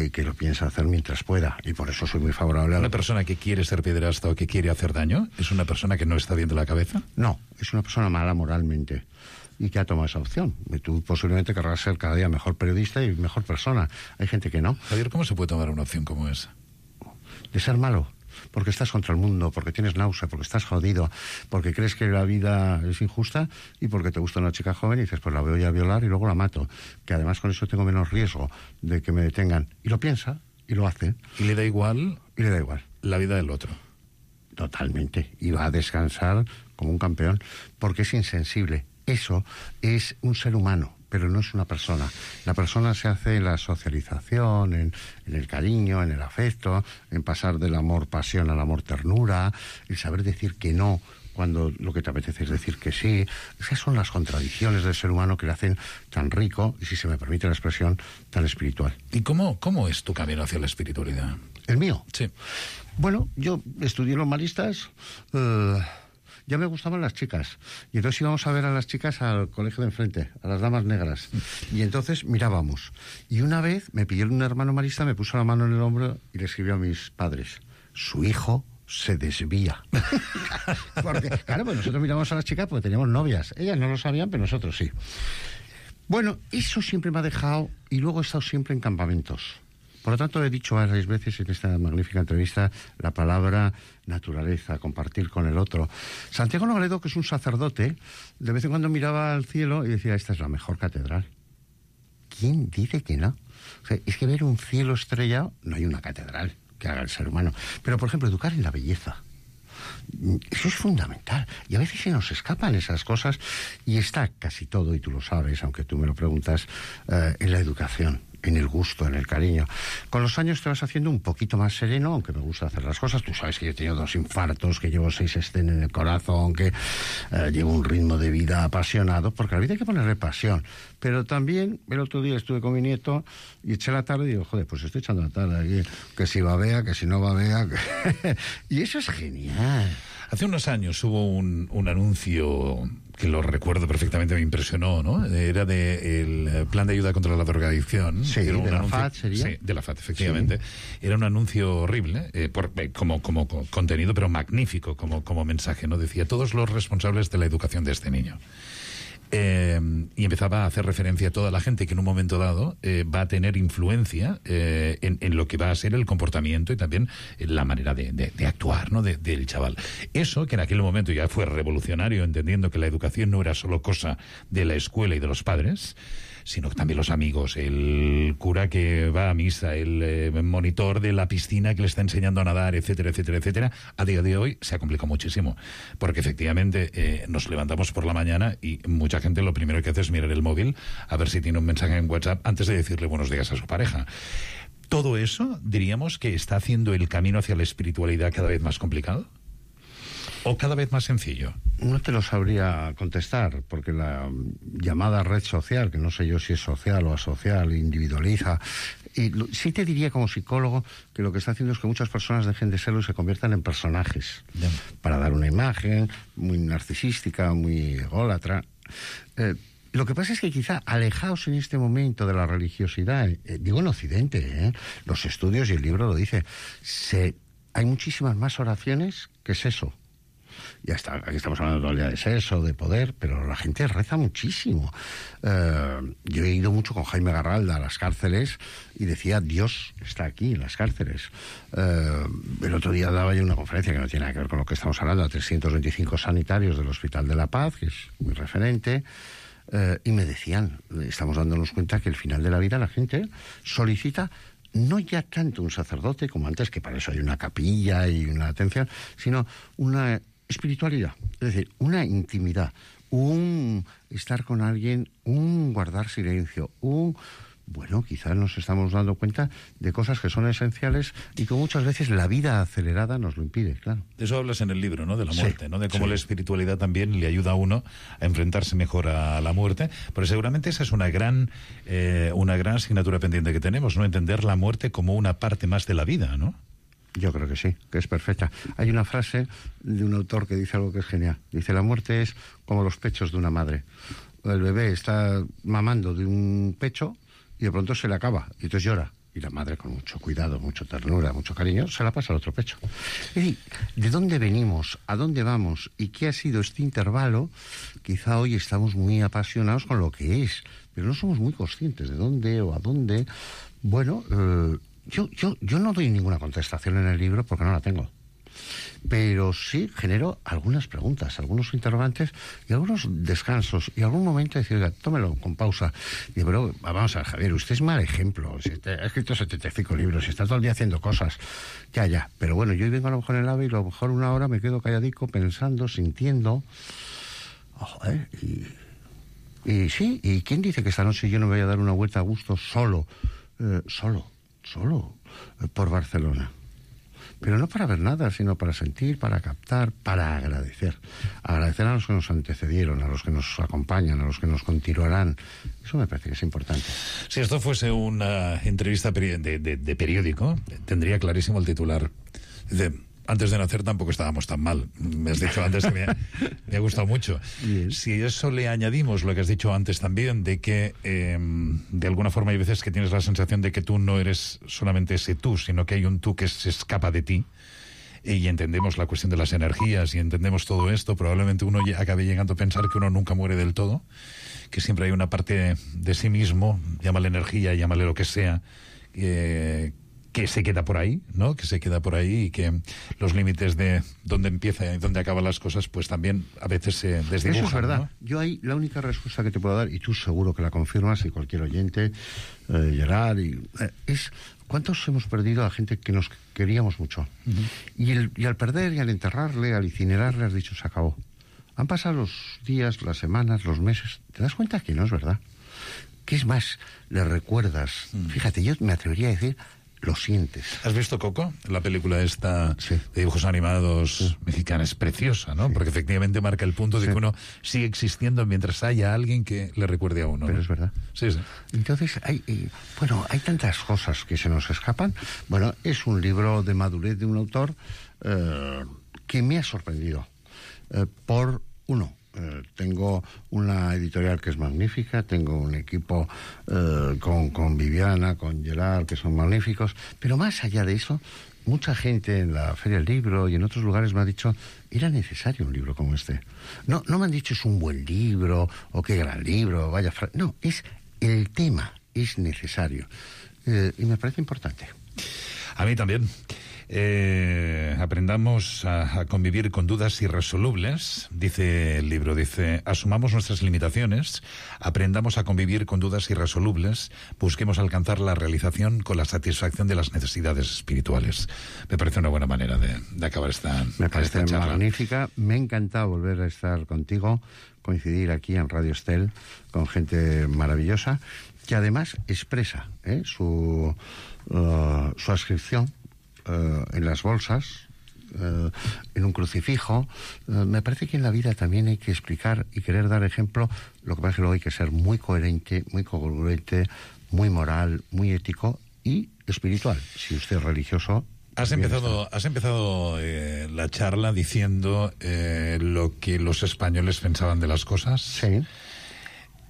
y que lo piensa hacer mientras pueda. Y por eso soy muy favorable a... ¿Una persona que quiere ser pederasta o que quiere hacer daño es una persona que no está bien de la cabeza? No, es una persona mala moralmente y que ha tomado esa opción. Y tú posiblemente querrás ser cada día mejor periodista y mejor persona. Hay gente que no. Javier, ¿cómo se puede tomar una opción como esa? De ser malo. Porque estás contra el mundo, porque tienes náusea, porque estás jodido, porque crees que la vida es injusta y porque te gusta una chica joven y dices, pues la voy a violar y luego la mato, que además con eso tengo menos riesgo de que me detengan. Y lo piensa y lo hace. ¿Y le da igual? Y le da igual. La vida del otro. Totalmente. Y va a descansar como un campeón, porque es insensible. Eso es un ser humano, pero no es una persona. La persona se hace en la socialización, en el cariño, en el afecto, en pasar del amor pasión al amor ternura, el saber decir que no cuando lo que te apetece es decir que sí. Esas son las contradicciones del ser humano que le hacen tan rico y, si se me permite la expresión, tan espiritual. ¿Y cómo es tu camino hacia la espiritualidad? ¿El mío? Sí. Bueno, yo estudié los maristas... ya me gustaban las chicas. Y entonces íbamos a ver a las chicas al colegio de enfrente, a las damas negras. Y entonces mirábamos. Y una vez me pidió un hermano marista, me puso la mano en el hombro y le escribió a mis padres: su hijo se desvía. Porque, claro, pues nosotros miramos a las chicas porque teníamos novias. Ellas no lo sabían, pero nosotros sí. Bueno, eso siempre me ha dejado, y luego he estado siempre en campamentos. Por lo tanto, he dicho varias veces en esta magnífica entrevista la palabra naturaleza, compartir con el otro. Santiago Nogaledo, que es un sacerdote, de vez en cuando miraba al cielo y decía, esta es la mejor catedral. ¿Quién dice que no? O sea, es que ver un cielo estrellado, no hay una catedral que haga el ser humano. Pero, por ejemplo, educar en la belleza. Eso es fundamental. Y a veces se nos escapan esas cosas, y está casi todo, y tú lo sabes, aunque tú me lo preguntas, en la educación, en el gusto, en el cariño. Con los años te vas haciendo un poquito más sereno, aunque me gusta hacer las cosas. Tú sabes que yo he tenido 2 infartos, que llevo 6 estén en el corazón, que llevo un ritmo de vida apasionado, porque a la vida hay que ponerle pasión. Pero también, el otro día estuve con mi nieto y eché la tarde y digo, joder, pues estoy echando la tarde aquí, que si babea, que si no babea. Y eso es genial. Hace unos años hubo un anuncio que lo recuerdo perfectamente, me impresionó, ¿no? Era del plan de ayuda contra la drogadicción. Sí, era de la FAD sería. Sí, de la FAD, efectivamente. Sí. Era un anuncio horrible, como contenido, pero magnífico como mensaje, ¿no? Decía, todos los responsables de la educación de este niño. Y empezaba a hacer referencia a toda la gente que en un momento dado va a tener influencia en lo que va a ser el comportamiento y también la manera de actuar, ¿no? del chaval. Eso, que en aquel momento ya fue revolucionario, entendiendo que la educación no era solo cosa de la escuela y de los padres, sino que también los amigos, el cura que va a misa, el monitor de la piscina que le está enseñando a nadar, etcétera, etcétera, etcétera. A día de hoy se ha complicado muchísimo, porque efectivamente nos levantamos por la mañana y mucha gente lo primero que hace es mirar el móvil a ver si tiene un mensaje en WhatsApp antes de decirle buenos días a su pareja. Todo eso, diríamos que está haciendo el camino hacia la espiritualidad cada vez más complicado. ¿O cada vez más sencillo? No te lo sabría contestar, porque la llamada red social, que no sé yo si es social o asocial, individualiza. Y sí te diría como psicólogo que lo que está haciendo es que muchas personas dejen de serlo y se conviertan en personajes. Bien. Para dar una imagen muy narcisística, muy ególatra. Lo que pasa es que quizá alejaos en este momento de la religiosidad, digo en Occidente, los estudios y el libro lo dice, hay muchísimas más oraciones que sexo. Ya está, aquí estamos hablando todo el día de sexo, de poder, pero la gente reza muchísimo. Yo he ido mucho con Jaime Garralda a las cárceles y decía, Dios está aquí en las cárceles. El otro día daba yo una conferencia que no tiene nada que ver con lo que estamos hablando, a 325 sanitarios del Hospital de la Paz, que es muy referente, y me decían, estamos dándonos cuenta que al final de la vida la gente solicita no ya tanto un sacerdote como antes, que para eso hay una capilla y una atención, sino una espiritualidad, es decir, una intimidad, un estar con alguien, un guardar silencio, bueno, quizás nos estamos dando cuenta de cosas que son esenciales y que muchas veces la vida acelerada nos lo impide, claro. De eso hablas en el libro, ¿no? De la muerte, sí, ¿no? De cómo la espiritualidad también le ayuda a uno a enfrentarse mejor a la muerte, pero seguramente esa es una gran asignatura pendiente que tenemos, ¿no? Entender la muerte como una parte más de la vida, ¿no? Yo creo que sí, que es perfecta. Hay una frase de un autor que dice algo que es genial. Dice, la muerte es como los pechos de una madre. El bebé está mamando de un pecho y de pronto se le acaba y entonces llora. Y la madre, con mucho cuidado, mucha ternura, mucho cariño, se la pasa al otro pecho. Es decir, ¿de dónde venimos? ¿A dónde vamos? ¿Y qué ha sido este intervalo? Quizá hoy estamos muy apasionados con lo que es, pero no somos muy conscientes de dónde o a dónde. Bueno, yo no doy ninguna contestación en el libro porque no la tengo. Pero sí genero algunas preguntas, algunos interrogantes y algunos descansos. Y algún momento decir, oiga, tómelo con pausa. Y pero vamos a ver, Javier, usted es mal ejemplo. Ha escrito 75 libros y está todo el día haciendo cosas. Ya. Pero bueno, yo vengo a lo mejor en el AVE y a lo mejor una hora me quedo calladico pensando, sintiendo. Y sí, ¿y quién dice que esta noche yo no me voy a dar una vuelta a gusto solo por Barcelona? Pero no para ver nada, sino para sentir, para captar, para agradecer. Agradecer a los que nos antecedieron, a los que nos acompañan, a los que nos continuarán. Eso me parece que es importante. Si esto fuese una entrevista de periódico, tendría clarísimo el titular. Dice, antes de nacer tampoco estábamos tan mal. Me has dicho antes que me ha gustado mucho. Bien. Si a eso le añadimos lo que has dicho antes también, de que de alguna forma hay veces que tienes la sensación de que tú no eres solamente ese tú, sino que hay un tú que se escapa de ti, y entendemos la cuestión de las energías y entendemos todo esto, probablemente uno acabe llegando a pensar que uno nunca muere del todo, que siempre hay una parte de sí mismo, llámale energía, llámale lo que sea, que se queda por ahí, ¿no? Que se queda por ahí y que los límites de dónde empieza y dónde acaban las cosas, pues también a veces se desdibujan. Eso es verdad. ¿no? Yo ahí la única respuesta que te puedo dar, y tú seguro que la confirmas, y cualquier oyente, Gerard, es ¿cuántos hemos perdido a gente que nos queríamos mucho? Y al perder y al enterrarle, al incinerarle, has dicho, se acabó. Han pasado los días, las semanas, los meses. ¿Te das cuenta que no es verdad? ¿Qué es más? Le recuerdas. Fíjate, yo me atrevería a decir, lo sientes. ¿Has visto Coco? La película esta de dibujos animados mexicana es preciosa, ¿no? Porque efectivamente marca el punto de que uno sigue existiendo mientras haya alguien que le recuerde a uno. Pero ¿no? es verdad. Sí. Entonces, hay tantas cosas que se nos escapan. Bueno, es un libro de madurez de un autor que me ha sorprendido. Tengo una editorial que es magnífica, tengo un equipo con Viviana, con Gerard, que son magníficos, pero más allá de eso, mucha gente en la Feria del Libro y en otros lugares me ha dicho, era necesario un libro como este. No me han dicho es un buen libro, o qué gran libro, vaya... No, es el tema, es necesario. Y me parece importante. A mí también. Aprendamos a convivir con dudas irresolubles, dice el libro, asumamos nuestras limitaciones, aprendamos a convivir con dudas irresolubles, busquemos alcanzar la realización con la satisfacción de las necesidades espirituales. Me parece una buena manera de acabar esta Me parece esta charla. magnífica, me ha encantado volver a estar contigo, coincidir aquí en Radio Estel con gente maravillosa, que además expresa su adscripción en las bolsas, en un crucifijo. Me parece que en la vida también hay que explicar y querer dar ejemplo. Lo que pasa es que luego hay que ser muy coherente, muy congruente, muy moral, muy ético y espiritual. Si usted es religioso... Has empezado la charla diciendo lo que los españoles pensaban de las cosas. Sí.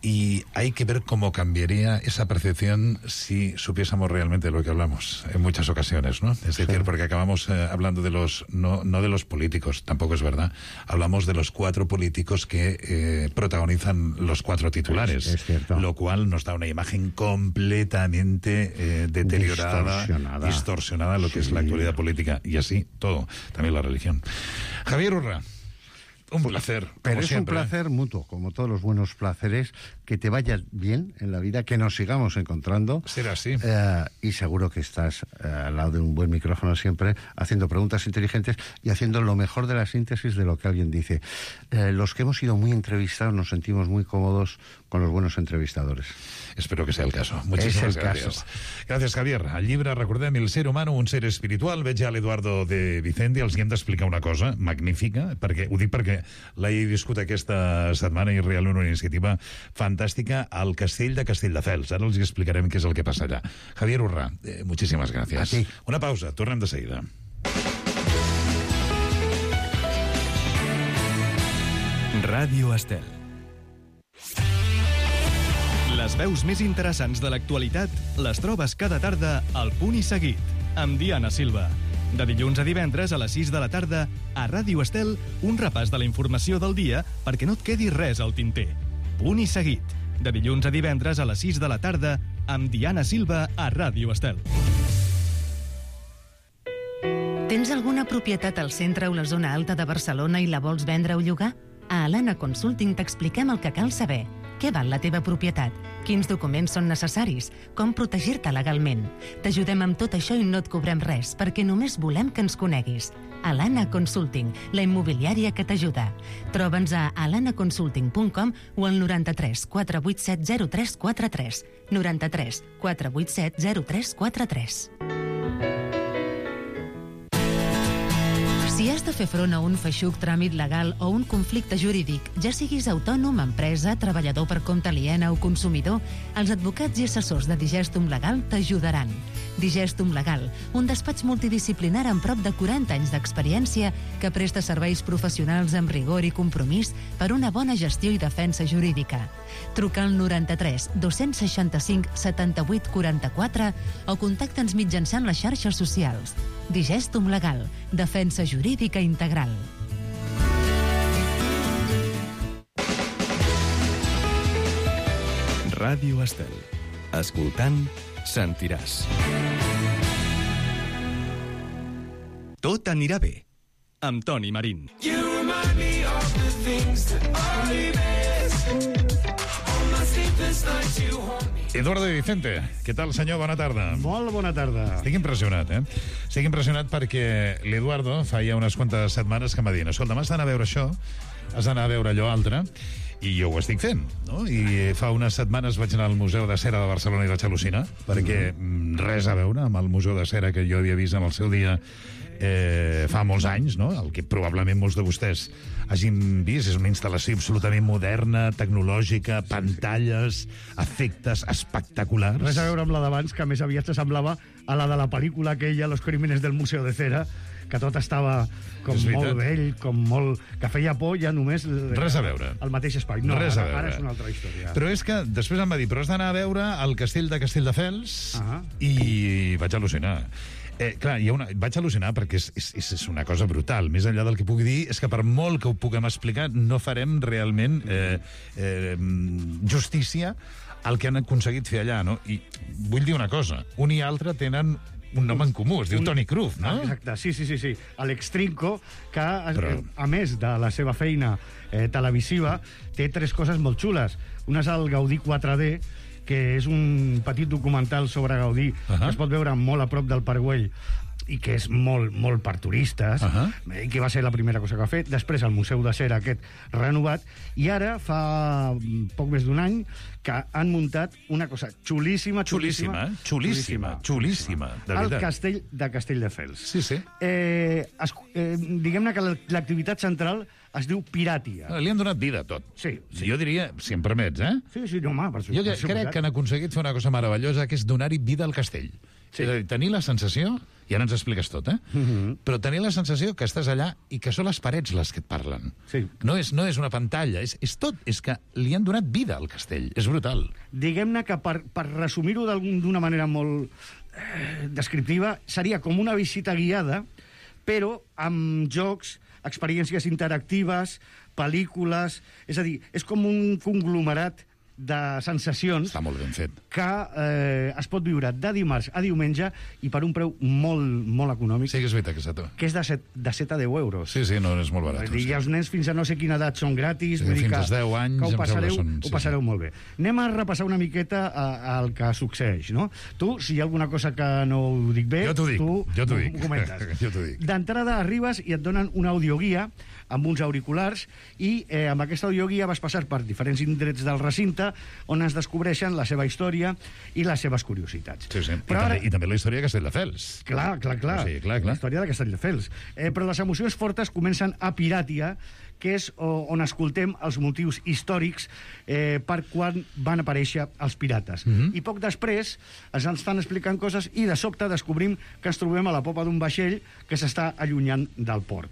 Y hay que ver cómo cambiaría esa percepción si supiésemos realmente de lo que hablamos en muchas ocasiones, ¿no? Es decir, porque acabamos hablando de no de los políticos, tampoco es verdad. Hablamos de los 4 políticos que protagonizan los 4 titulares, es cierto. Lo cual nos da una imagen completamente deteriorada, distorsionada lo que es la actualidad política, y así todo, también la religión. Javier Urra, un placer. Pero como es siempre, un placer mutuo, como todos los buenos placeres, que te vaya bien en la vida, que nos sigamos encontrando. Será así. Y seguro que estás al lado de un buen micrófono siempre, haciendo preguntas inteligentes y haciendo lo mejor de la síntesis de lo que alguien dice. Los que hemos sido muy entrevistados nos sentimos muy cómodos con los buenos entrevistadores. Espero que sea el caso. Muchísimas gracias. Gracias, Javier. Al llibre, recordem, El ser humano, un ser espiritual. Veig a l'Eduardo de Vicente, els hem d'explicar una cosa magnífica, perquè ho dic perquè l'he viscut aquesta setmana i realment una iniciativa fantàstica al castell de Castelldefels. Ara els explicarem què és el que passa allà. Javier Urra, muchísimas gracias. A ti. Una pausa, tornem de seguida. Ràdio Estel. Les veus més interessants de l'actualitat les trobes cada tarda al Punt i Seguit, amb Diana Silva. De dilluns a divendres a les 6 de la tarda, a Ràdio Estel, un repàs de la informació del dia perquè no et quedi res al tinter. Punt i Seguit. De dilluns a divendres a les 6 de la tarda, amb Diana Silva a Ràdio Estel. Tens alguna propietat al centre o la zona alta de Barcelona i la vols vendre o llogar? A Alana Consulting t'expliquem el que cal saber. Què val la teva propietat? Quins documents són necessaris? Com protegir-te legalment? T'ajudem amb tot això i no et cobrem res, perquè només volem que ens coneguis. Alana Consulting, la immobiliària que t'ajuda. Troba'ns a alanaconsulting.com o al 93 487 0343. 93 487 0343. Si has de de fer front a un feixuc tràmit legal o un conflicte jurídic, ja siguis autònom, empresa, treballador per compte aliena o consumidor, els advocats i assessors de Digestum Legal t'ajudaran. Digestum Legal, un despatx multidisciplinar amb prop de 40 anys d'experiència que presta serveis professionals amb rigor i compromís per una bona gestió i defensa jurídica. Truca al 93 265 78 44 o contacta'ns mitjançant les xarxes socials. Digestum Legal, defensa jurídica integral. Ràdio Estel. Escoltant, sentiràs. Tot anirà bé, amb Toni Marín. Eduardo Di Vicente, què tal, senyor? Bona tarda. Molt bona tarda. Estic impressionat, Estic impressionat perquè l'Eduardo feia unes quantes setmanes que m'ha dit: escolta, m'has d'anar a veure això, has d'anar a veure allò altre, i jo ho estic fent, no? I fa unes setmanes vaig anar al Museu de Cera de Barcelona i vaig al·lucinar, perquè res a veure amb el Museu de Cera que jo havia vist en el seu dia fa molts anys, no? El que probablement molts de vostès hagin vist és una instal·lació absolutament moderna, tecnològica, pantalles, efectes espectaculars. Res a veure amb la d'abans, que més aviat s'assemblava a la de la pel·lícula aquella, Los crímenes del Museo de Cera, que tot estava com molt vell, com molt... que feia por ja només... Res a veure. El mateix espai. No, res a veure. Ara és una altra història. Però és que després em va dir, però has d'anar a veure el castell de Castelldefels, i vaig al·lucinar. Clar, vaig al·lucinar perquè és una cosa brutal. Més enllà del que pugui dir, és que per molt que ho puguem explicar, no farem realment justícia al que han aconseguit fer allà, no? I vull dir una cosa, un i altre tenen un nom en comú, es diu Toni Cruz, no? Exacte, sí. Alex Trinco, que a més de la seva feina televisiva, té 3 coses molt xules. Una és el Gaudí 4D, que és un petit documental sobre Gaudí, que es pot veure molt a prop del Parc Güell, i que és molt per turistes, i que va ser la primera cosa que va fer. Després el Museu de Cera aquest renovat, i ara fa poc més d'un any que han muntat una cosa xulíssima, de veritat. El castell de Castelldefels. Sí. Diguem-ne que l'activitat central es diu Piràtia. Li han donat vida a tot. Sí. Jo diria, si em permets, Sí, no, home, per jo crec que han aconseguit fer una cosa meravellosa, que és donar-hi vida al castell. Sí. És a dir, tenir la sensació, i ara ens expliques tot, però tenir la sensació que estàs allà i que són les parets les que et parlen. Sí. No és una pantalla, és tot. És que li han donat vida al castell. És brutal. Diguem-ne que per resumir-ho d'una manera molt descriptiva, seria com una visita guiada, però amb jocs, experiències interactives, pel·lícules... És a dir, és com un conglomerat de sensacions... Està molt ben fet. Que es pot viure de dimarts a diumenge i per un preu molt econòmic. Sí, que és veritat, que és de 7 a 10 euros. Sí, no és molt barat. I els nens fins a no sé quina edat són gratis. Sí, fins als 10 anys ho passareu molt bé. Anem a repassar una miqueta el que succeeix, no? Tu, si hi ha alguna cosa que no ho dic bé, jo t'ho dic. Ho comentes. Jo t'ho dic. D'entrada arribes i et donen una audioguia amb uns auriculars i amb aquesta audioguia vas passar per diferents indrets del recinte on es descobreixen la seva història i les seves curiositats. Sí. I també la història de Castelldefels. Clar. Sí, clar. La història de Castelldefels. Però les emocions fortes comencen a Piràtia, que és on escoltem els motius històrics per quan van aparèixer els pirates. I poc després ens estan explicant coses i de sobte descobrim que ens trobem a la popa d'un vaixell que s'està allunyant del port.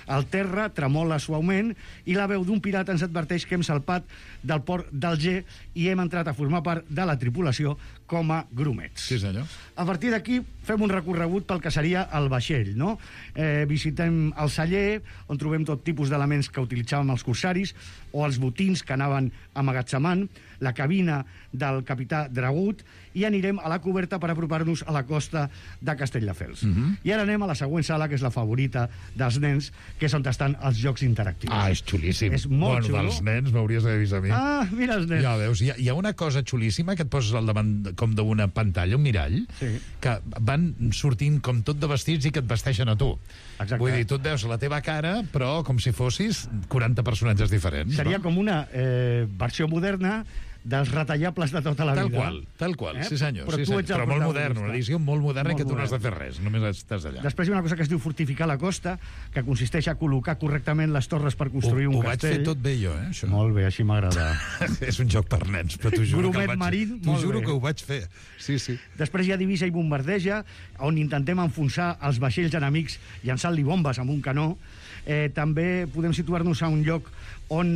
El terra tremola suaument i la veu d'un pirata ens adverteix que hem salpat del port d'Alger i hem entrat a formar part de la tripulació com a grumets. Sí, senyor. A partir d'aquí fem un recorregut pel que seria el vaixell, no? Visitem el celler, on trobem tot tipus d'elements que utilitzàvem els corsaris, o els botins que anaven amagatzemant, la cabina del capità Dragut, i anirem a la coberta per apropar-nos a la costa de Castelldefels. I ara anem a la següent sala, que és la favorita dels nens, que és on estan els jocs interactius. És xulíssim. És molt xulo. Dels nens m'hauries d'haver vist a mi. Mira els nens. Ja veus, hi ha una cosa xulíssima que et poses al davant com d'una pantalla, un mirall, que van sortint com tot de vestits i que et vesteixen a tu. Exacte. Vull dir, tu et veus la teva cara, però com si fossis 40 personatges diferents. Seria com una versió moderna dels retallables de tota la vida. Tal qual, sí senyor. Però molt modern, una edició molt moderna que tu no has de fer res, només estàs allà. Després hi ha una cosa que es diu fortificar la costa, que consisteix a col·locar correctament les torres per construir un castell. Ho vaig fer tot bé jo, això. Molt bé, així m'agrada. És un joc per nens, però t'ho juro que ho vaig fer. Sí. Després hi ha divisa i bombardeja, on intentem enfonsar els vaixells enemics llançant-li bombes amb un canó. També podem situar-nos a un lloc on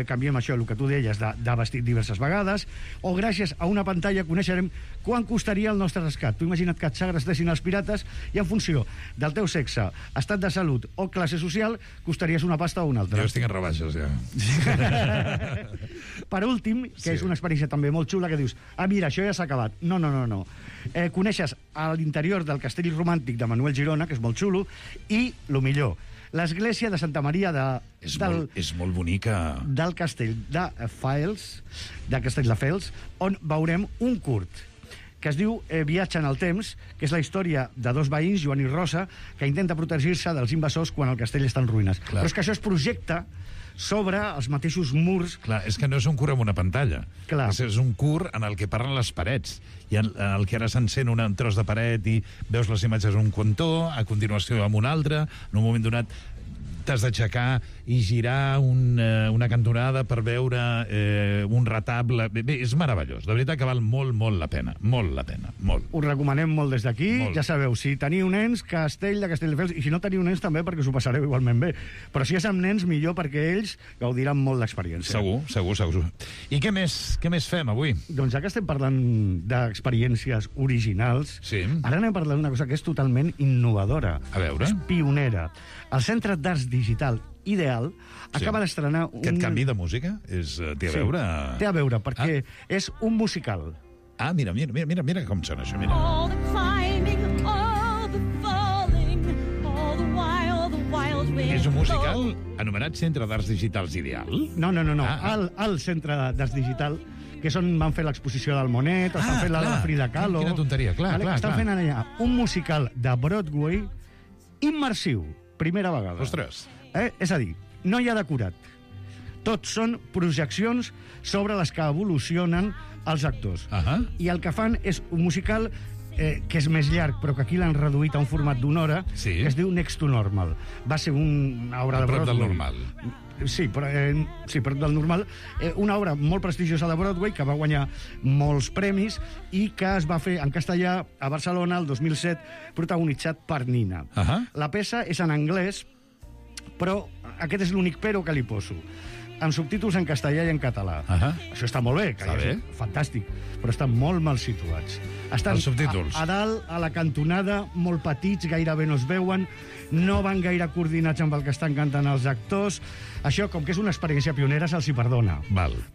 canviem això, el que tu deies, de vestit diverses vegades, o gràcies a una pantalla coneixerem quan costaria el nostre rescat. Tu imagina't que et segrestessin els pirates i en funció del teu sexe, estat de salut o classe social, costaries una pasta o una altra. Jo estic en rebaixes, ja. Per últim, que és una experiència també molt xula, que dius, mira, això ja s'ha acabat. No. Coneixes a l'interior del castell romàntic de Manuel Girona, que és molt xulo, i, lo millor, l'església de Santa Maria és molt bonica. Del castell de Fels, de Castelldefels, on veurem un curt que es diu Viatge en el temps, que és la història de dos veïns, Joan i Rosa, que intenta protegir-se dels invasors quan el castell està en ruïnes. Clar. Però és que això es projecta sobre els mateixos murs. Clar, és que no és un curt amb una pantalla. Clar. És un curt en el que parlen les parets. I en el que ara s'encén un tros de paret i veus les imatges d'un cantó, a continuació amb un altre, en un moment donat t'has d'aixecar i girar una cantonada per veure un retable. Bé, és meravellós. De veritat que val molt, molt la pena. Molt la pena. Molt. Us recomanem molt des d'aquí. Ja sabeu, si teniu nens, Castell de Castelldefels, i si no teniu nens també, perquè us ho passareu igualment bé. Però si és amb nens, millor, perquè ells gaudiran molt l'experiència. Segur. I què més fem avui? Doncs ja que estem parlant d'experiències originals, ara anem a parlar d'una cosa que és totalment innovadora. A veure. És pionera. El Centre d'Arts Digital Ideal acaba d'estrenar un... Aquest canvi de música té a veure... Té a veure, perquè és un musical. Mira com sona això, mira. All the climbing, all the falling, all the wild wind. És un musical anomenat Centre d'Arts Digitals Ideal? No. El Centre d'Arts Digital, que és on van fer l'exposició del Monet, estan fent la de Frida Kahlo... Quina tonteria, clar. Estan fent allà un musical de Broadway immersiu. Primera vegada. Ostres. És a dir, no hi ha decorat. Tots són projeccions sobre les que evolucionen els actors. I el que fan és un musical que és més llarg, però que aquí l'han reduït a un format d'una hora, que es diu Next to Normal. Va ser una obra de Broadway. Prop del normal. Sí, prop del normal. Una obra molt prestigiosa de Broadway, que va guanyar molts premis i que es va fer en castellà a Barcelona el 2007, protagonitzat per Nina. La peça és en anglès, però aquest és l'únic però que li poso. Amb subtítols en castellà i en català. Això està molt bé, fantàstic, però estan molt mal situats. Estan els subtítols. A dalt, a la cantonada, molt petits, gairebé no es veuen, no van gaire coordinats amb el que estan cantant els actors. Això, com que és una experiència pionera, se'ls hi perdona.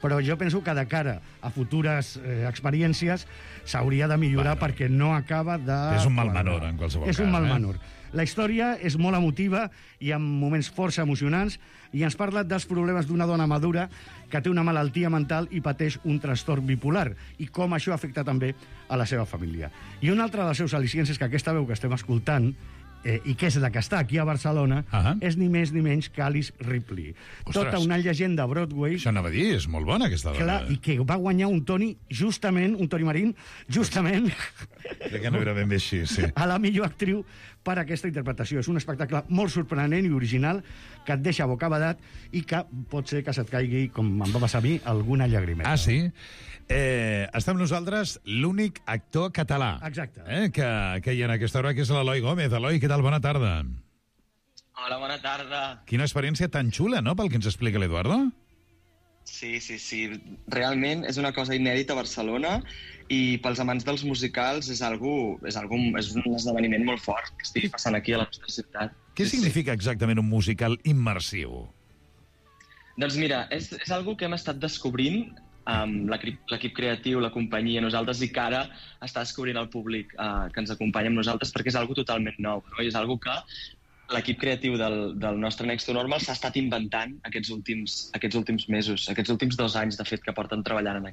Però jo penso que de cara a futures experiències s'hauria de millorar perquè no acaba de... És un mal menor, en qualsevol cas. És un mal menor. La història és molt emotiva i amb moments força emocionants i ens parla dels problemes d'una dona madura que té una malaltia mental i pateix un trastorn bipolar i com això afecta també a la seva família. I un altre dels seus al·licients és que aquesta veu que estem escoltant i que és la que està aquí a Barcelona, és ni més ni menys que Alice Ripley. Tota una llegenda Broadway... Això anava a dir, és molt bona aquesta dona. Clar, i que va guanyar un Tony, justament, un Tony Marín, justament... Crec que no era ben bé així, sí. A la millor actriu per a aquesta interpretació. És un espectacle molt sorprenent i original que et deixa bocabadat i que pot ser que se't caigui, com em va passar a mi, alguna llagrimeta. Sí? Està amb nosaltres l'únic actor català. Exacte. Que hi ha en aquesta hora, que és l'Eloi Gómez. Eloi, què tal? Bona tarda. Hola, bona tarda. Quina experiència tan xula, no?, pel que ens explica l'Eduardo. Sí. Realment és una cosa inèdita a Barcelona i pels amants dels musicals és un esdeveniment molt fort que estigui passant aquí a la nostra ciutat. Què significa exactament un musical immersiu? Doncs mira, és algo que hem estat descobrint amb l'equip creatiu, la companyia, nosaltres, i que ara està descobrint el públic que ens acompanya amb nosaltres, perquè és algo totalment nou, no? I és algo que l'equip creatiu del nostre Next to Normal s'ha estat inventant aquests últims mesos, aquests últims 2 anys, de fet, que porten treballant en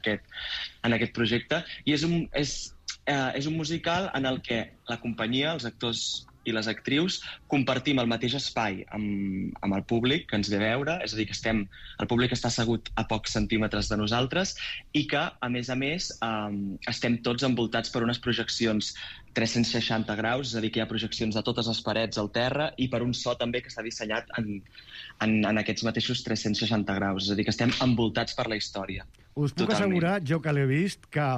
aquest projecte. I és un musical en el que la companyia, els actors i les actrius compartim el mateix espai amb el públic que ens ve a veure, és a dir, que el públic està assegut a pocs centímetres de nosaltres i que, a més, estem tots envoltats per unes projeccions 360 graus, és a dir, que hi ha projeccions de totes les parets al terra i per un so també que està dissenyat en aquests mateixos 360 graus, és a dir, que estem envoltats per la història. Us puc assegurar, jo que l'he vist, que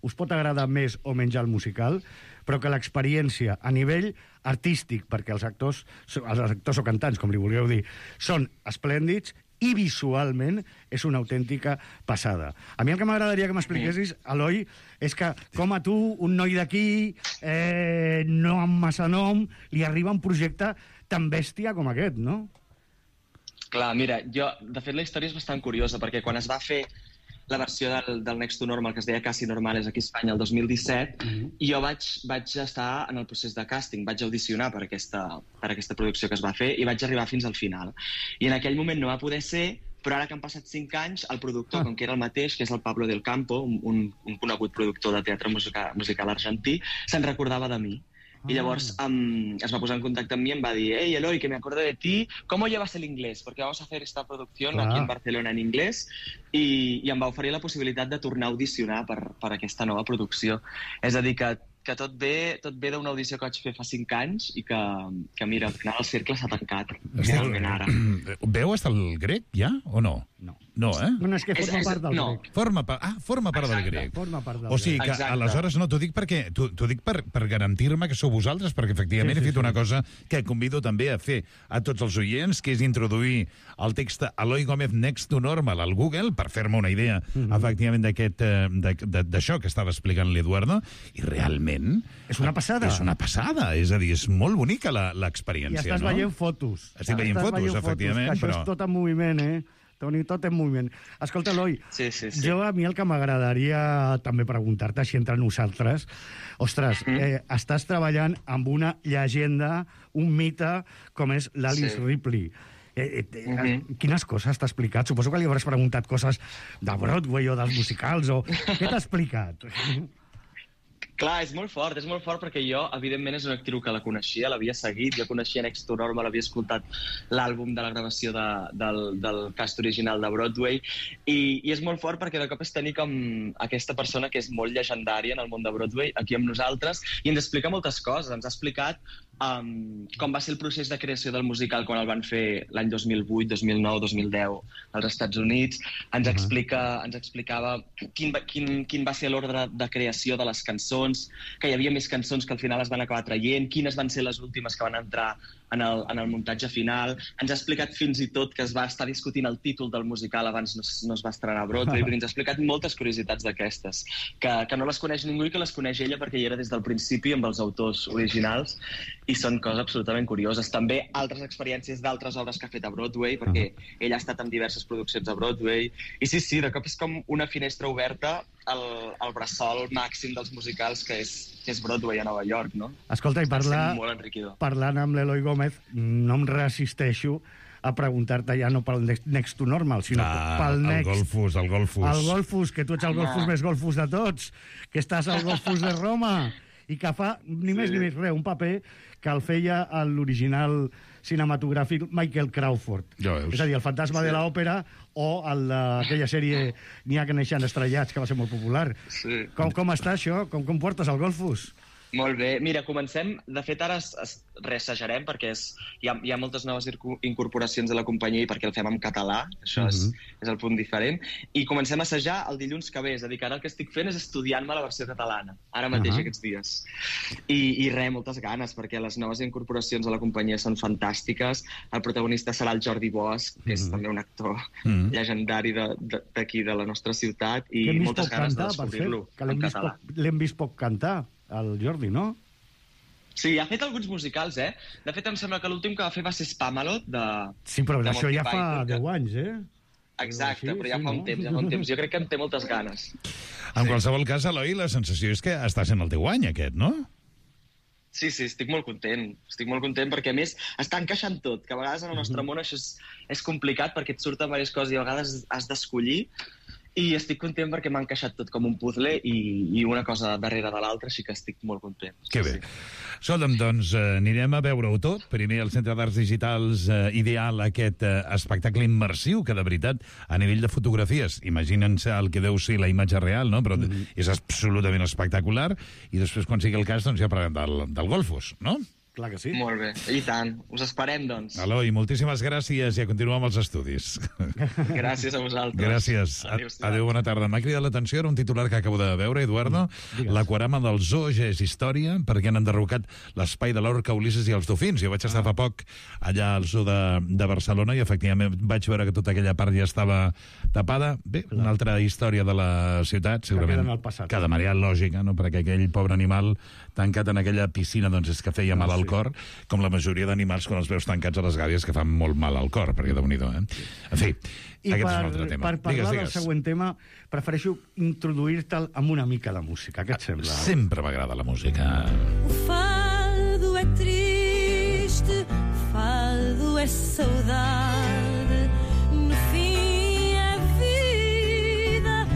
us pot agradar més o menys el musical, però que l'experiència a nivell artístic, perquè els actors o cantants, com li vulgueu dir, són esplèndids i visualment és una autèntica passada. A mi el que m'agradaria que m'expliquessis, Eloi, és que com a tu, un noi d'aquí, no amb massa nom, li arriba un projecte tan bèstia com aquest, no? Clar, mira, de fet la història és bastant curiosa, perquè quan es va fer la versió del Next to Normal, que es deia Casi Normales aquí a Espanya el 2017, jo vaig estar en el procés de càsting, vaig audicionar per aquesta producció que es va fer i vaig arribar fins al final. I en aquell moment no va poder ser, però ara que han passat 5 anys, el productor, com que era el mateix, que és el Pablo del Campo, un conegut productor de teatre musical argentí, se'n recordava de mi. Y llavors es va posar en contacte amb mi i em va dir: hey, Eloi, que me acuerdo de ti, ¿cómo llevas el inglés? Porque vamos a hacer esta producción aquí en Barcelona en inglés. I em va oferir la possibilitat de tornar a audicionar per aquesta nova producció. És a dir, que tot ve d'una audició que vaig fer fa 5 anys i que mira, al final el cercle s'ha tancat. Realment ara. Veu hasta el grec, ja, o no? No, eh? No, és que forma part del grec. Forma part del grec. Forma part del grec. O sigui que, aleshores, no, t'ho dic per garantir-me que sou vosaltres, perquè efectivament he fet una cosa que convido també a fer a tots els oients, que és introduir el text Eloi Gómez Next to Normal al Google, per fer-me una idea, efectivament, d'això que estava explicant l'Eduardo, i realment... És una passada. És una passada, és a dir, és molt bonica l'experiència, no? I estàs veient fotos. Estic veient fotos, efectivament, però... Això és tot en moviment, Toni, tot en moviment. Escolta, Eloi, jo a mi el que m'agradaria també preguntar-te, així entre nosaltres, ostres, estàs treballant amb una llegenda, un mite, com és l'Alice Ripley. Quines coses t'ha explicat? Suposo que li hauràs preguntat coses de Broadway o dels musicals, o què t'ha explicat? Clar, és molt fort perquè jo, evidentment, és una actriu que la coneixia, l'havia seguit, jo coneixia Next to Normal, l'havia escoltat l'àlbum de la gravació del cast original de Broadway, i és molt fort perquè de cop és tenir com aquesta persona que és molt llegendària en el món de Broadway aquí amb nosaltres, i ens explica moltes coses. Ens ha explicat com va ser el procés de creació del musical quan el van fer l'any 2008, 2009, 2010 als Estats Units. Ens explicava quin va ser l'ordre de creació de les cançons, que hi havia més cançons que al final es van acabar traient, quines van ser les últimes que van entrar en el muntatge final. Ens ha explicat fins i tot que es va estar discutint el títol del musical abans no es va estrenar a Broadway, però ens ha explicat moltes curiositats d'aquestes, que no les coneix ningú i que les coneix ella perquè hi era des del principi amb els autors originals, i són coses absolutament curioses. També altres experiències d'altres obres que ha fet a Broadway, perquè ella ha estat en diverses produccions a Broadway, i sí, de cop és com una finestra oberta al bressol màxim dels musicals, que és Broadway a Nova York, no? Escolta, i parlant amb l'Eloi Gómez, no em resisteixo a preguntar-te ja no pel Next to Normal, sinó pel Next... El Golfus. El Golfus, que tu ets el Golfus més Golfus de tots, que estàs al Golfus de Roma, i que fa ni més ni més res, un paper que el feia l'original cinematogràfic Michael Crawford. És a dir, el fantasma de l'òpera o aquella sèrie N'hi ha que neixen estrellats, que va ser molt popular. Com està això? Com portes el Golfus? Molt bé. Mira, comencem... De fet, ara reassajarem perquè hi ha moltes noves incorporacions a la companyia i perquè el fem en català. Això és el punt diferent. I comencem a assajar el dilluns que ve. És a dir, que ara el que estic fent és estudiant-me la versió catalana. Ara mateix, aquests dies. I moltes ganes, perquè les noves incorporacions a la companyia són fantàstiques. El protagonista serà el Jordi Bosch, que és també un actor llegendari d'aquí, de la nostra ciutat, i moltes ganes de descobrir-lo en català. L'hem vist poc cantar, el Jordi, no? Sí, ha fet alguns musicals, De fet, em sembla que l'últim que va fer va ser Spamalot, Sí, però això ja fa 10 anys, Exacte, però ja fa un temps. Jo crec que en té moltes ganes. En qualsevol cas, Eloi, la sensació és que està sent el teu any, aquest, no? Sí, estic molt content. Estic molt content perquè, a més, està encaixant tot, que a vegades en el nostre món això és complicat perquè et surten diverses coses i a vegades has d'escollir. I estic content perquè m'ha encaixat tot com un puzzle i una cosa darrere de l'altra, així que estic molt content. Que bé. Escolta'm, doncs anirem a veure-ho tot. Primer al Centre d'Arts Digitals Ideal, aquest espectacle immersiu que, de veritat, a nivell de fotografies, imaginen-se el que deu ser la imatge real, no? Però és absolutament espectacular. I després, quan sigui el cas, doncs ja parlem del Golfos, no? Clar que sí. Molt bé, i tant. Us esperem, doncs. Eloi, moltíssimes gràcies i a continuar amb els estudis. Gràcies a vosaltres. Gràcies. Adéu, bona tarda. M'ha cridat l'atenció, era un titular que acabo de veure, Eduardo. L'aquarama del zoo ja és història, perquè han enderrocat l'espai de l'orca, Ulisses i els dofins. Jo vaig estar fa poc allà al zoo de Barcelona i efectivament vaig veure que tota aquella part ja estava tapada. Bé, una altra història de la ciutat, segurament, que de manera lògica, no? Perquè aquell pobre animal tancat en aquella piscina, doncs és que feia mal al cor, com la majoria d'animals quan els veus tancats a les gàbies, que fan molt mal al cor, perquè déu-n'hi-do, En fi, aquest és un altre tema. Per parlar del següent tema, prefereixo introduir-te'l amb una mica de música. Què et sembla? Sempre m'agrada la música. O fado é triste, fado é saudade, no fim é vida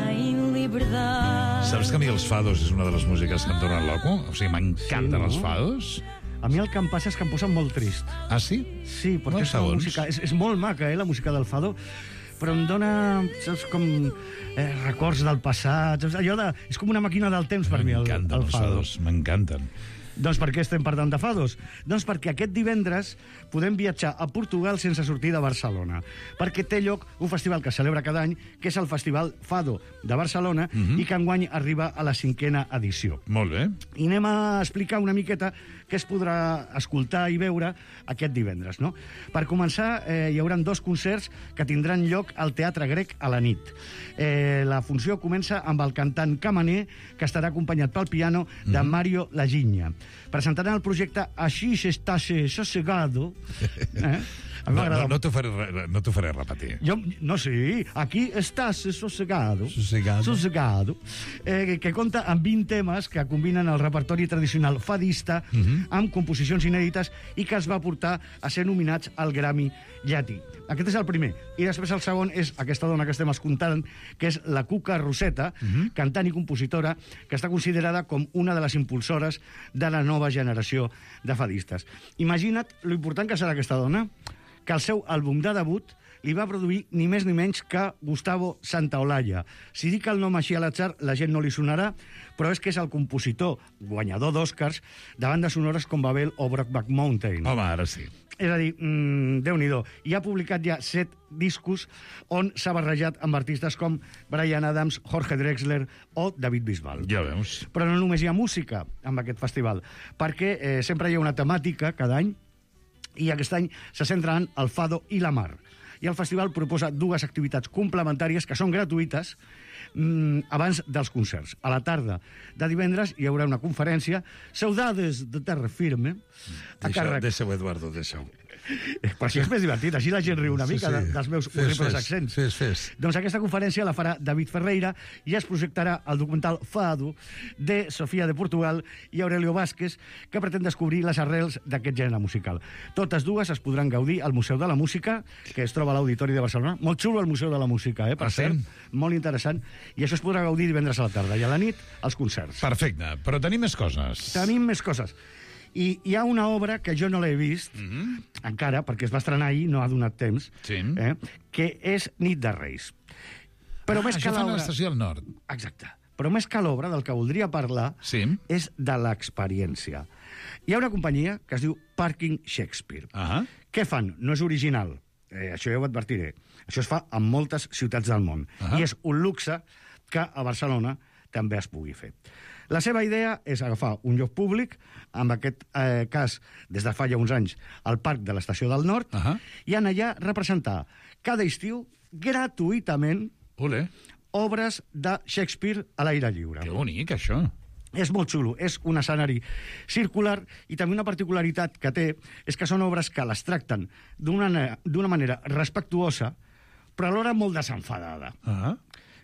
em liberdade. Saps que a mi els fados és una de les músiques que em donen loco? O sigui, m'encanten els fados. A mi el que em passa és que em posa molt trist. Ah, sí? Sí, perquè és una música... És molt maca, la música del fado, però em dona, saps, com records del passat. Saps? Allò és com una màquina del temps per mi, el fado. M'encanten els fados, m'encanten. Doncs per què estem parlant de fados? Doncs perquè aquest divendres podem viatjar a Portugal sense sortir de Barcelona, perquè té lloc un festival que es celebra cada any, que és el Festival Fado de Barcelona, i que enguany arriba a la 5ª edició. Molt bé. I anem a explicar una miqueta què es podrà escoltar i veure aquest divendres, no? Per començar, hi haurà 2 concerts que tindran lloc al Teatre Grec a la nit. La funció comença amb el cantant Camaner, que estarà acompanyat pel piano de Mario Laginya. Presentaran el projecte Així s'estàs sossegado. No t'ho faré repetir. No, sí. Aquí estàs sossegado. Sossegado. Que compta amb 20 temes que combinen el repertori tradicional fadista amb composicions inèdites i que es va portar a ser nominats al Grammy Llatí. Aquest és el primer. I després el segon és aquesta dona que estem escoltant, que és la Cuca Roseta, cantant i compositora, que està considerada com una de les impulsores de la nova generació de fadistes. Imagina't lo important que serà aquesta dona, que el seu àlbum de debut li va produir ni més ni menys que Gustavo Santaolalla. Si dic el nom així a l'atzar, la gent no li sonarà, però és que és el compositor guanyador d'Oscars de bandes sonores com Babel o Brokeback Mountain. Home, ara sí. És a dir, Déu-n'hi-do. I ha publicat ja 7 discos on s'ha barrejat amb artistes com Bryan Adams, Jorge Drexler o David Bisbal. Ja veus. Però no només hi ha música amb aquest festival, perquè sempre hi ha una temàtica cada any, i aquest any se centra en el fado i la mar. I el festival proposa 2 activitats complementàries que són gratuïtes abans dels concerts. A la tarda de divendres hi haurà una conferència Saudades de Terra Firme a càrrec... Deixa-ho, Eduardo, deixa-ho. Però així és més divertit, així la gent riu una mica dels meus horribles accents. Fes. Doncs aquesta conferència la farà David Ferreira i es projectarà el documental Fado de Sofia de Portugal i Aurelio Vázquez, que pretén descobrir les arrels d'aquest gènere musical. Totes 2 es podran gaudir al Museu de la Música, que es troba a l'Auditori de Barcelona. Molt xulo el Museu de la Música, per cert. Molt interessant. I això es podrà gaudir divendres a la tarda i a la nit els concerts. Perfecte, però tenim més coses. Tenim més coses. I hi ha una obra que jo no l'he vist, encara, perquè es va estrenar ahir, no ha donat temps, que és Nit de Reis. Però més que això fan a l'Estació del Nord. Exacte. Però més que l'obra, del que voldria parlar, és de l'experiència. Hi ha una companyia que es diu Parking Shakespeare. Què fan? No és original. Això ja ho advertiré. Això es fa en moltes ciutats del món. I és un luxe que a Barcelona també es pugui fer. La seva idea és agafar un lloc públic, en aquest cas, des de fa ja uns anys, al Parc de l'Estació del Nord, i anar allà a representar cada estiu, gratuïtament, obres de Shakespeare a l'aire lliure. Que bonic, això. És molt xulo, és un escenari circular i també una particularitat que té és que són obres que les tracten d'una manera respectuosa, però alhora molt desenfadada.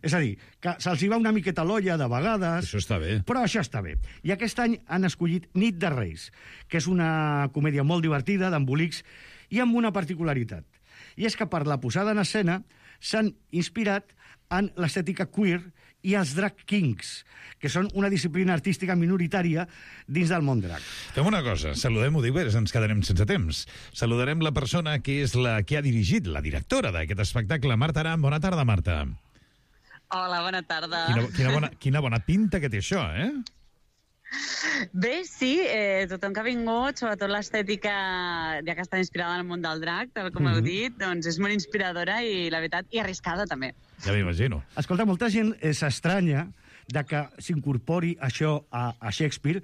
És a dir, que se'ls hi va una miqueta l'olla de vegades... Això està bé. Però això està bé. I aquest any han escollit Nit de Reis, que és una comèdia molt divertida, d'embolics, i amb una particularitat. I és que per la posada en escena s'han inspirat en l'estètica queer i els drag kings, que són una disciplina artística minoritària dins del món drag. Fem una cosa, saludem-ho, diu, ens quedarem sense temps. Saludarem la persona que és la que ha dirigit, la directora d'aquest espectacle, Marta Aram. Bona tarda, Marta. Hola, bona tarda. Quina bona pinta que té això, eh? Bé, sí, tothom que ha vingut, sobretot l'estètica, ja que està inspirada en el món del drag, tal com heu dit, doncs és molt inspiradora i, la veritat, i arriscada també. Ja m'imagino. Escolta, molta gent s'estranya de que s'incorpori això a Shakespeare,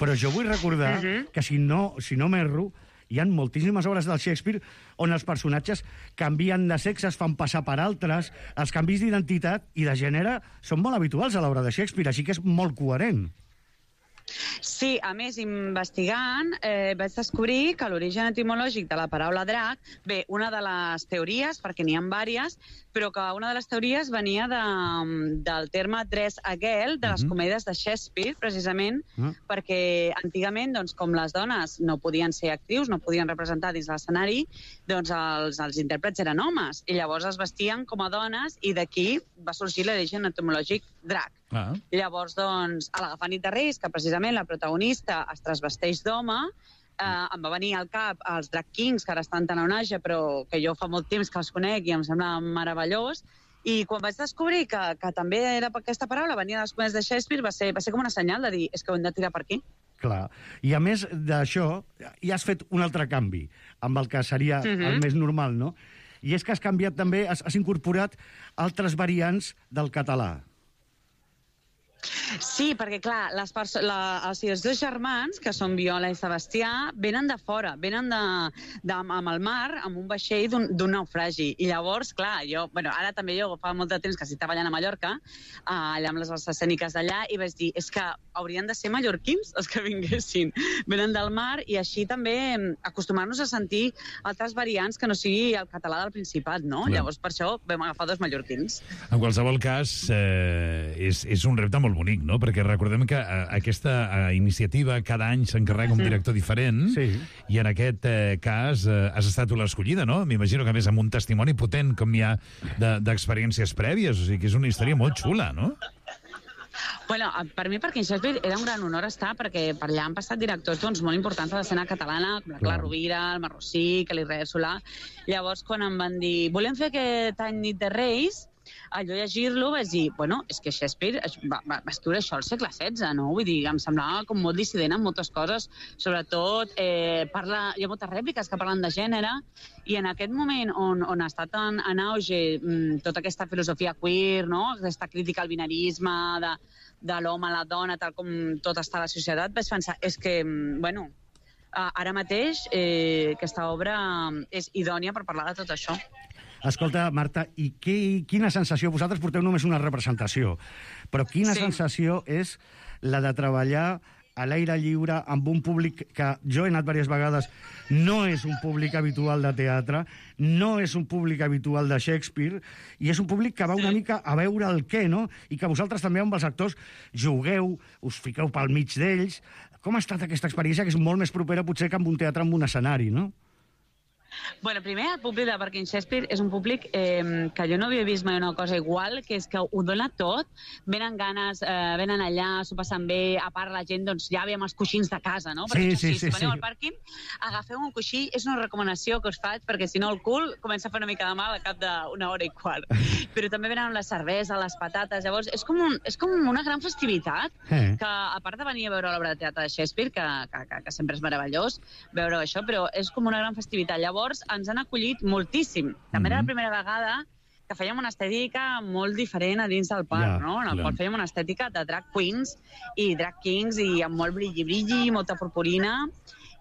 però jo vull recordar que si no m'erro, hi ha moltíssimes obres del Shakespeare on els personatges canvien de sexe, es fan passar per altres, els canvis d'identitat i de gènere són molt habituals a l'obra de Shakespeare, així que és molt coherent. Sí, a més, investigant, vaig descobrir que l'origen etimològic de la paraula drac, bé, una de les teories, perquè n'hi ha diverses, però que una de les teories venia del terme dress a girl, de les comèdies de Shakespeare, precisament, perquè antigament, doncs, com les dones no podien ser actrius, no podien representar dins l'escenari, doncs els intèrprets eren homes, i llavors es vestien com a dones, i d'aquí va sorgir l'origen etimològic drac. Llavors, doncs, a l'Agafant nit de Reis, que precisament la protagonista es transvesteix d'home, em va venir al cap els drag kings, que ara estan tan a onatge, però que jo fa molt temps que els conec i em sembla meravellós, i quan vaig descobrir que també era aquesta paraula, venia dels comèdies de Shakespeare, va ser com una senyal de dir, és que ho hem de tirar per aquí. Clar. I a més d'això, ja has fet un altre canvi, amb el que seria el més normal, no? I és que has canviat també, has incorporat altres variants del català. Sí, perquè, clar, els dos germans, que són Viola i Sebastià, venen de fora, venen amb el mar, amb un vaixell d'un naufragi. I llavors, clar, ara també jo fa molt de temps que estic treballant a Mallorca, allà amb les arts escèniques d'allà, i vaig dir, és que haurien de ser mallorquins els que vinguessin. Venen del mar i així també acostumar-nos a sentir altres variants que no sigui el català del Principat, no? Llavors, per això vam agafar dos mallorquins. En qualsevol cas, és un repte molt bonic, no? Perquè recordem que aquesta iniciativa cada any s'encarrega un director diferent i en aquest cas has estat tu l'escollida, no? M'imagino que a més amb un testimoni potent com hi ha d'experiències prèvies, o sigui que és una història molt xula, no? Bueno, per mi, perquè en Shakespeare era un gran honor estar, perquè per allà han passat directors molt importants de l'escena catalana, com la Clara Rovira, el Marrossí, que l'Israel Solà. Llavors, quan em van dir, volem fer aquest any Nit de Reis, allò llegir-lo vaig dir, bueno, és que Shakespeare va escriure això al segle XVI, no? Vull dir, em semblava com molt dissident en moltes coses, sobretot hi ha moltes rèpliques que parlen de gènere, i en aquest moment on ha estat en auge tota aquesta filosofia queer, no? Aquesta crítica al binarisme, de l'home a la dona, tal com tot està a la societat, vaig pensar, és que, bueno, ara mateix aquesta obra és idònia per parlar de tot això. Escolta, Marta, i quina sensació... Vosaltres porteu només una representació, però quina sensació és la de treballar a l'aire lliure amb un públic que jo he anat diverses vegades, no és un públic habitual de teatre, no és un públic habitual de Shakespeare, i és un públic que va una mica a veure el què, no? I que vosaltres també amb els actors jugueu, us fiqueu pel mig d'ells. Com ha estat aquesta experiència, que és molt més propera potser que amb un teatre amb un escenari, no? Bueno, primer, el públic de Parking Shakespeare és un públic que jo no havia vist mai una cosa igual, que és que ho dona tot, venen ganes, venen allà, s'ho passen bé, a part la gent, doncs ja veiem els coixins de casa, no? Perquè si veniu al pàrquing, agafeu un coixí, és una recomanació que us faig, perquè si no el cul comença a fer una mica de mal al cap d'una hora i quart. Però també venen amb la cervesa, les patates, llavors és com una gran festivitat, que a part de venir a veure l'obra de teatre de Shakespeare, que sempre és meravellós veure això, però és com una gran festivitat. Llavors ens han acollit moltíssim. També era la primera vegada que fèiem una estètica molt diferent a dins del parc, no? En el qual fèiem una estètica de drag queens i drag kings i amb molt brilli-brilli, molta purpurina,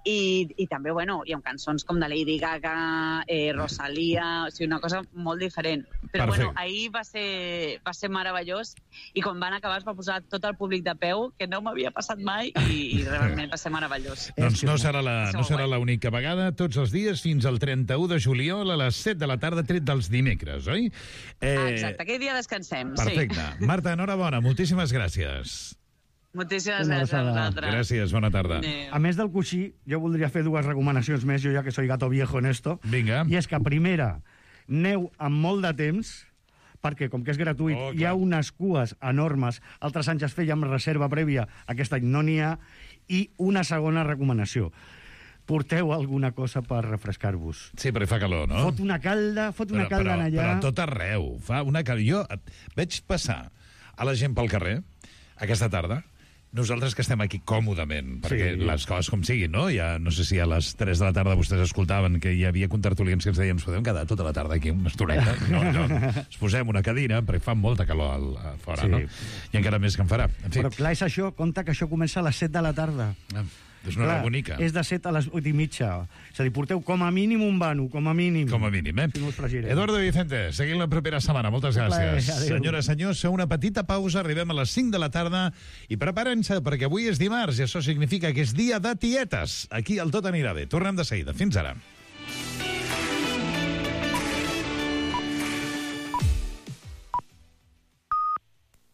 i també, bueno, hi ha cançons com de Lady Gaga, Rosalia, o sigui, una cosa molt diferent. Però, bueno, ahir va ser meravellós, i quan van acabar es va posar tot el públic de peu, que no m'havia passat mai, i realment va ser meravellós. Doncs no serà l'única vegada, tots els dies, fins al 31 de juliol, a les 7 de la tarda, tret dels dimecres, oi? Exacte, aquell dia descansem, sí. Perfecte. Marta, enhorabona, moltíssimes gràcies. Moltíssimes gràcies a vosaltres. Gràcies, bona tarda. A més del coixí, jo voldria fer dues recomanacions més, jo ja que soy gato viejo en esto. Vinga. I és que, primera, neu amb molt de temps, perquè com que és gratuït hi ha unes cues enormes, altres anys es feia amb reserva prèvia, aquest any no n'hi ha, i una segona recomanació. Porteu alguna cosa per refrescar-vos. Sí, però fa calor, no? Fot una calda en allà. Però a tot arreu. Fa una calda. Jo veig passar a la gent pel carrer aquesta tarda, nosaltres que estem aquí còmodament, perquè les coses com siguin, no? Ja, no sé si a les 3 de la tarda vostès escoltaven que hi havia contertulians que ens deien ens podem quedar tota la tarda aquí una estoneta? No, ens posem una cadira, perquè fa molta calor fora, no? I encara més que en farà. En fi. Però clar, és això, compte que això comença a les 7 de la tarda. És una hora bonica. És de 7 a les 8:30. És a dir, porteu com a mínim un vano, com a mínim. Com a mínim, Si no us fregireu. Eduardo Vicente, seguim la propera setmana. Moltes gràcies. Senyores, senyors, una petita pausa, arribem a les 5 de la tarda i preparen-se perquè avui és dimarts i això significa que és dia de tietes. Aquí el tot anirà bé. Tornem de seguida. Fins ara.